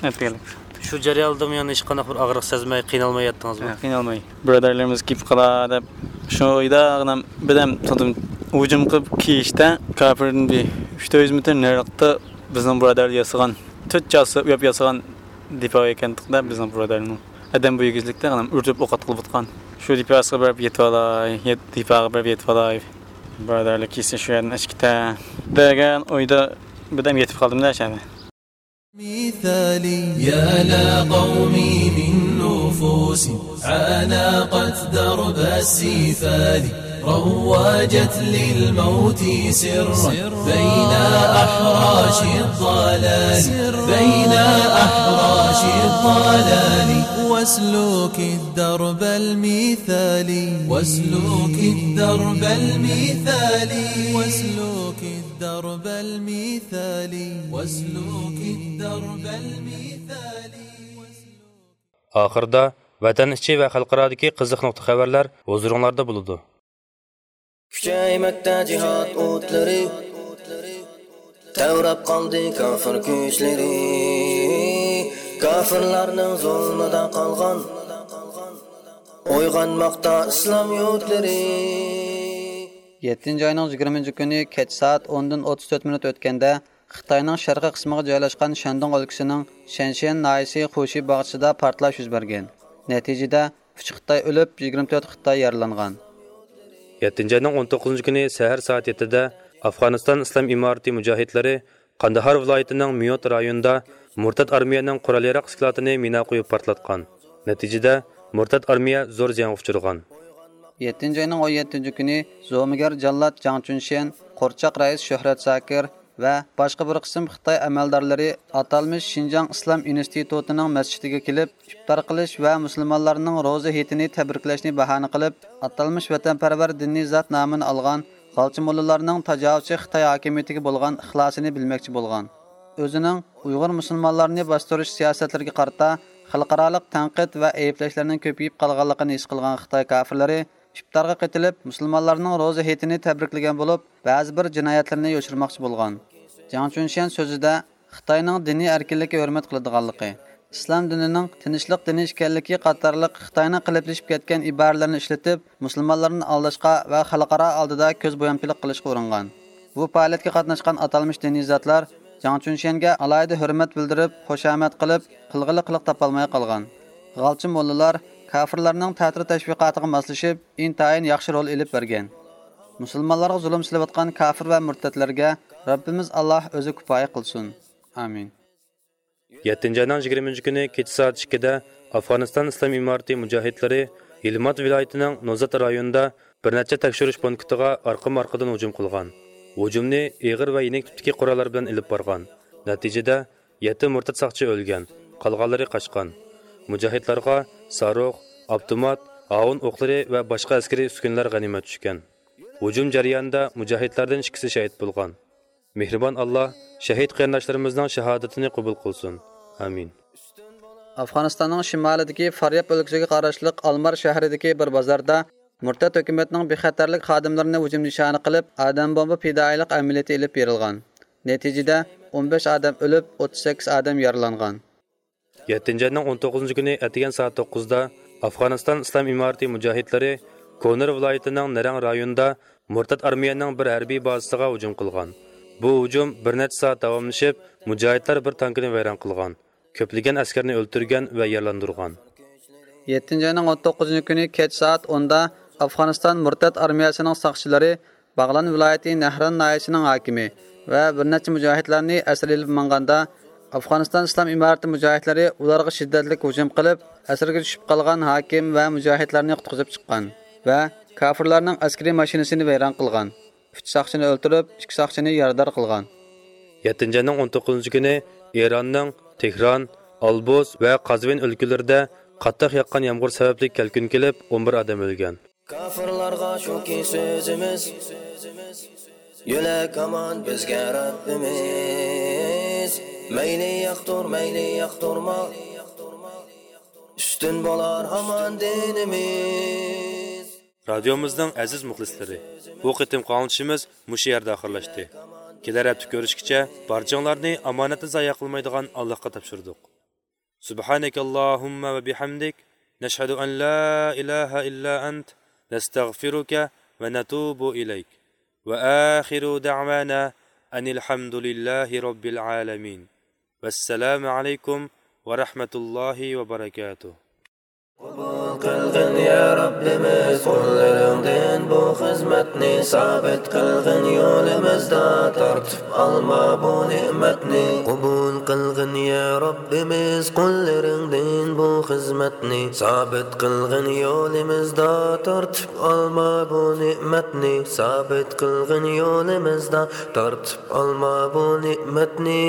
ئەتىگەنلىك. شۇ جەرياندىمۇ يەنە ھېچقانداق بىر ئاغرىق سەزمەي، قىينالماي ياتتىڭىزمۇ؟ ھە، قىينالماي. بۇرادەرلىرىمىز كېلىپ قالا دەپ، شۇ ئۆيدە ئانام بىردەم تۇردۇم. ھۇجۇم قىلىپ كېلىشتە، كاپىردىن بىر ئۈچ يۈز مېتىر نېرىلىقتا بىزنىڭ بۇرادەرلەر ياسىغان، تۆت چاسا ئۇياپ ياسىغان دېپو ئىكەنتۇقتا بىزنىڭ بۇرادەرنىڭ. ئادەم بۇ ئېگىزلىكتە ئانام ئۇرۇپ ئوق ئاتقىلى بولغان. شۇ دېپوسىغا بېرىپ يېتىۋالاي، يەت-، دېپوغا بېرىپ يېتىۋالاي. بۇرادەرلەر كېسە شۇ يەردىن ئەشكىتە دېگەن ئويدا بىردەم يېتىپ قالدىم-دە شەدە. مثالي يا لقومي من نفوس عانقت درب السفال، روجت للموت سرا بين أحراش الضلال، بين أحراش الضلال. واسلك الدرب المثالي، واسلك الدرب المثالي، واسلك الدرب المثالي، واسلك الدرب المثالي. ئاخىرىدا ۋەتەن ئىچى ۋە خەلقئارادىكى قىزىق نۇقتا خەۋەرلەر ھۇزۇرۇڭلاردا بولىدۇ. كۈچەيمەكتە جىھاد ئوتلىرى، تەۋرەپ قالدى كافىر كۈچلىرى. كافىرلارنىڭ زۇلمىدا قالغان، ئويغانماقتا ئىسلام يۇرتلىرى. يەتتىنچى ئاينىڭ يىگىرمىنچى كۈنى كەچ سائەت ئوندىن ئوتتۇز تۆت مىنۇت ئۆتكەندە، خىتاينىڭ شەرقىي قىسمىغا جايلاشقان شەندۇڭ ئۆلكىسىنىڭ شەنشيەن ناھىيەسى خۇشى باغچىسىدا پارتلاش يۈز بەرگەن. نەتىجىدە، ئۈچ خىتاي ئۆلۈپ، يىگىرمە تۆت خىتاي يارىلانغان. يەتتىنچى ئاينىڭ ئون توققۇزىنچى كۈنى سەھەر سائەت يەتتىدە ئافغانىستان ئىسلام ئىمارىتى مۇجاھىدلىرى قانداھار ۋىلايىتىنىڭ ميوت رايونىدا مۇرتەت ئارمىيەنىڭ قورال-ياراغ ئىسكىلاتىنى مىنا قويۇپ پارتلاتقان. نەتىجىدە، مۇرتەت ئارمىيە زور زىيانغا ئۇچرىغان. يەتتىنچى ئاينىڭ ئون يەتتىنچى كۈنى زومىگەر جاللات جاڭ چۈنشيەن، قورچاق رەئىس شۆھرەت زاكىر ۋە باشقا بىر قىسىم خىتاي ئەمەلدارلىرى ئاتالمىش شىنجاڭ ئىسلام ئىنستىتۇتىنىڭ مەسچىتىگە كېلىپ، ئىپتار قىلىش ۋە مۇسۇلمانلارنىڭ روزا ھېيتىنى تەبرىكلەشنى باھانە قىلىپ، ئاتالمىش ۋەتەنپەرۋەر دىنىي زات نامىنى ئالغان غالچى موللىلارنىڭ تاجاۋۇزچى خىتاي ھاكىمىيىتىگە بولغان ئىخلاسىنى بىلمەكچى بولغان. ئۆزىنىڭ ئۇيغۇر مۇسۇلمانلارنى باستۇرۇش سىياسەتلىرىگە قارىتا خەلقئارالىق تەنقىد ۋە ئەيىبلەشلەرنىڭ كۆپىيىپ قالغانلىقىنى ھېس قىلغان خىتاي كاپىرلىرى ئىپتارغا قېتىلىپ، مۇسۇلمانلارنىڭ روزا ھېيتىنى تەبرىكلىگەن بولۇپ، بەزى بىر جىنايەتلىرىنى يوشۇرماقچى بولغان. جاڭ چۈنشيەن سۆزىدە خىتاينىڭ دىنىي ئەركىنلىككە ھۆرمەت قىلىدىغانلىقى، ئىسلام دىنىنىڭ تىنچلىق دىنى ئىكەنلىكى قاتارلىق خىتاينىڭ قېلىپلىشىپ كەتكەن ئىبارىلىرىنى ئىشلىتىپ، مۇسۇلمانلارنى ئالداشقا ۋە خەلقئارا ئالدىدا كۆز بويامچىلىق قىلىشقا ئۇرۇنغان. بۇ پائالىيەتكە قاتناشقان ئاتالمىش دىنىي زاتلار جاڭ چۈنشيەنگە ئالاھىدە ھۆرمەت بىلدۈرۈپ، خۇشامەت قىلىپ، قىلغىلى قىلىق تاپالماي قالغان. غالچى موللىلار كاپىرلارنىڭ تەتۈر تەشۋىقاتىغا ماسلىشىپ، ئىنتايىن ياخشى رول ئېلىپ بەرگەن. مۇسۇلمانلارغا زۇلۇم سېلىۋاتقان كاپىر ۋە مۇرتەتلەرگە رەببىمىز ئاللاھ ئۆزى كۇپايە قىلسۇن. ئامىن. يەتتىنچى ئاينىڭ يىگىرمىنچى كۈنى كېچە سائەت ئىككىدە ئافغانىستان ئىسلام ئىمارىتى مۇجاھىدلىرى ھىلمات ۋىلايىتىنىڭ نوزات رايونىدا بىر نەچچە تەكشۈرۈش پونكىتىغا ئارقىمۇ ئارقىدىن ھۇجۇم قىلغان. ھۇجۇمنى ئېغىر ۋە يېنىك تىپتىكى قوراللار بىلەن ئېلىپ بارغان. نەتىجىدە، يەتتە مۇرتەت ساقچى ئۆلگەن، قالغانلىرى قاچقان. مۇجاھىدلارغا ساروخ، ئاپتومات، ئاۋۇن ئوقلىرى ۋە باشقا ئەسكىرىي ئۈسكۈنىلەر غەنىيمەت چۈشكەن. ھۇجۇم جەريانىدا مۇجاھىدلاردىن ئىككىسى شېھىت بولغان. مېھرىبان ئاللا شەھىد قېرىنداشلىرىمىزنىڭ شاھادىتىنى قوبۇل قىلسۇن. ئامىن. ئافغانىستاننىڭ شىمالىدىكى فارياب ئۆلكىسىگە قاراشلىق ئالمار شەھىرىدىكى بىر بازاردا مۇرتەت ھۆكۈمەتنىڭ بىخەتەرلىك خادىملىرىنى ھۇجۇم نىشانى قىلىپ، ئادەم بومبا پىدائىيلىق ئەمەلىيىتى ئېلىپ بېرىلغان. نەتىجىدە، ئون بەش ئادەم ئۆلۈپ، ئوتتۇز سەككىز ئادەم يارىلانغان. يەتتىنچى ئاينىڭ ئون توققۇزىنچى كۈنى ئەتىگەن سائەت توققۇزدا ئافغانىستان ئىسلام ئىمارىتى مۇجاھىدلىرى كونىر ۋىلايىتىنىڭ نەرەڭ رايونىدا مۇرتەت ئارمىيەنىڭ بىر ھەربىي بازىسىغا ھۇجۇم قىلغان. بۇ ھۇجۇم بىر نەچچە سائەت داۋاملىشىپ، مۇجاھىدلار بىر تانكىنى ۋەيران قىلغان، كۆپلىگەن ئەسكەرنى ئۆلتۈرگەن ۋە يارىلاندۇرغان. يەتتىنچى ئاينىڭ ئون توققۇزىنچى كۈنى كەچ سائەت ئوندا ئافغانىستان مۇرتەت ئارمىيەسىنىڭ ساقچىلىرى باغلان ۋىلايىتى نەھران ناھىيەسىنىڭ ھاكىمى ۋە بىر نەچچە مۇجاھىدلارنى ئەسىر ئېلىپ ماڭغاندا، ئافغانىستان ئىسلام ئىمارىتى مۇجاھىدلىرى ئۇلارغا شىددەتلىك ھۇجۇم قىلىپ، ئەسىرگە چۈشۈپ قالغان ھاكىم ۋە مۇجاھىدلارنى قۇتقۇزۇپ چىققان ۋە كاپىرلارنىڭ ئەسكىرىي ماشىنىسىنى ۋەيران قىلغان. ئۈچ ساقچىنى ئۆلتۈرۈپ، ئىككى ساقچىنى يارىدار قىلغان. يەتتىنچى ئاينىڭ ئون توققۇزىنچى كۈنى ئىراننىڭ تېھران، ئالبوز ۋە قازۋىن ئۆلكىلىرىدە قاتتىق ياغقان يامغۇر سەۋەبلىك كەلكۈن كېلىپ، ئون بىر ئادەم ئۆلگەن. كاپىرلارغا شۇكى سۆزىمىز، يۆلەك ھامان بىزگە رەببىمىز، مەيلى ياقتۇر، مەيلى ياقتۇرما، ئۈستۈن بولار ھامان دىنىمىز. رادىيومىزنىڭ ئەزىز مۇخلىسلىرى، بۇ قېتىمقى ئاڭلىتىشىمىز مۇشۇ يەردە ئاخىرلاشتى. كېلەر ھەپتە كۆرۈشكىچە بارچىڭلارنى ئامانەتنى زايە قىلمايدىغان ئاللاھقا تاپشۇردۇق. سبحانك اللهم وبحمدك، نشهد أن لا إله إلا أنت، نستغفرك ونتوب إليك. وآخر دعوانا أن الحمد لله رب العالمين. والسلام عليكم ورحمة الله وبركاته. قوبۇل قىلغىن يا رەببىمىز قۇللىرىڭدىن بۇ خىزمەتنى، سابىت قىلغىن يولىمىزدا تارتىپ ئالما بۇ نېمەتنى. قوبۇل قىلغىن يا رەببىمىز قۇللىرىڭدىن بۇ خىزمەتنى، سابىت قىلغىن يولىمىزدا تارتىپ ئالما بۇ نېمەتنى، سابىت قىلغىن يولىمىزدا تارتىپ ئالما بۇ نېمەتنى.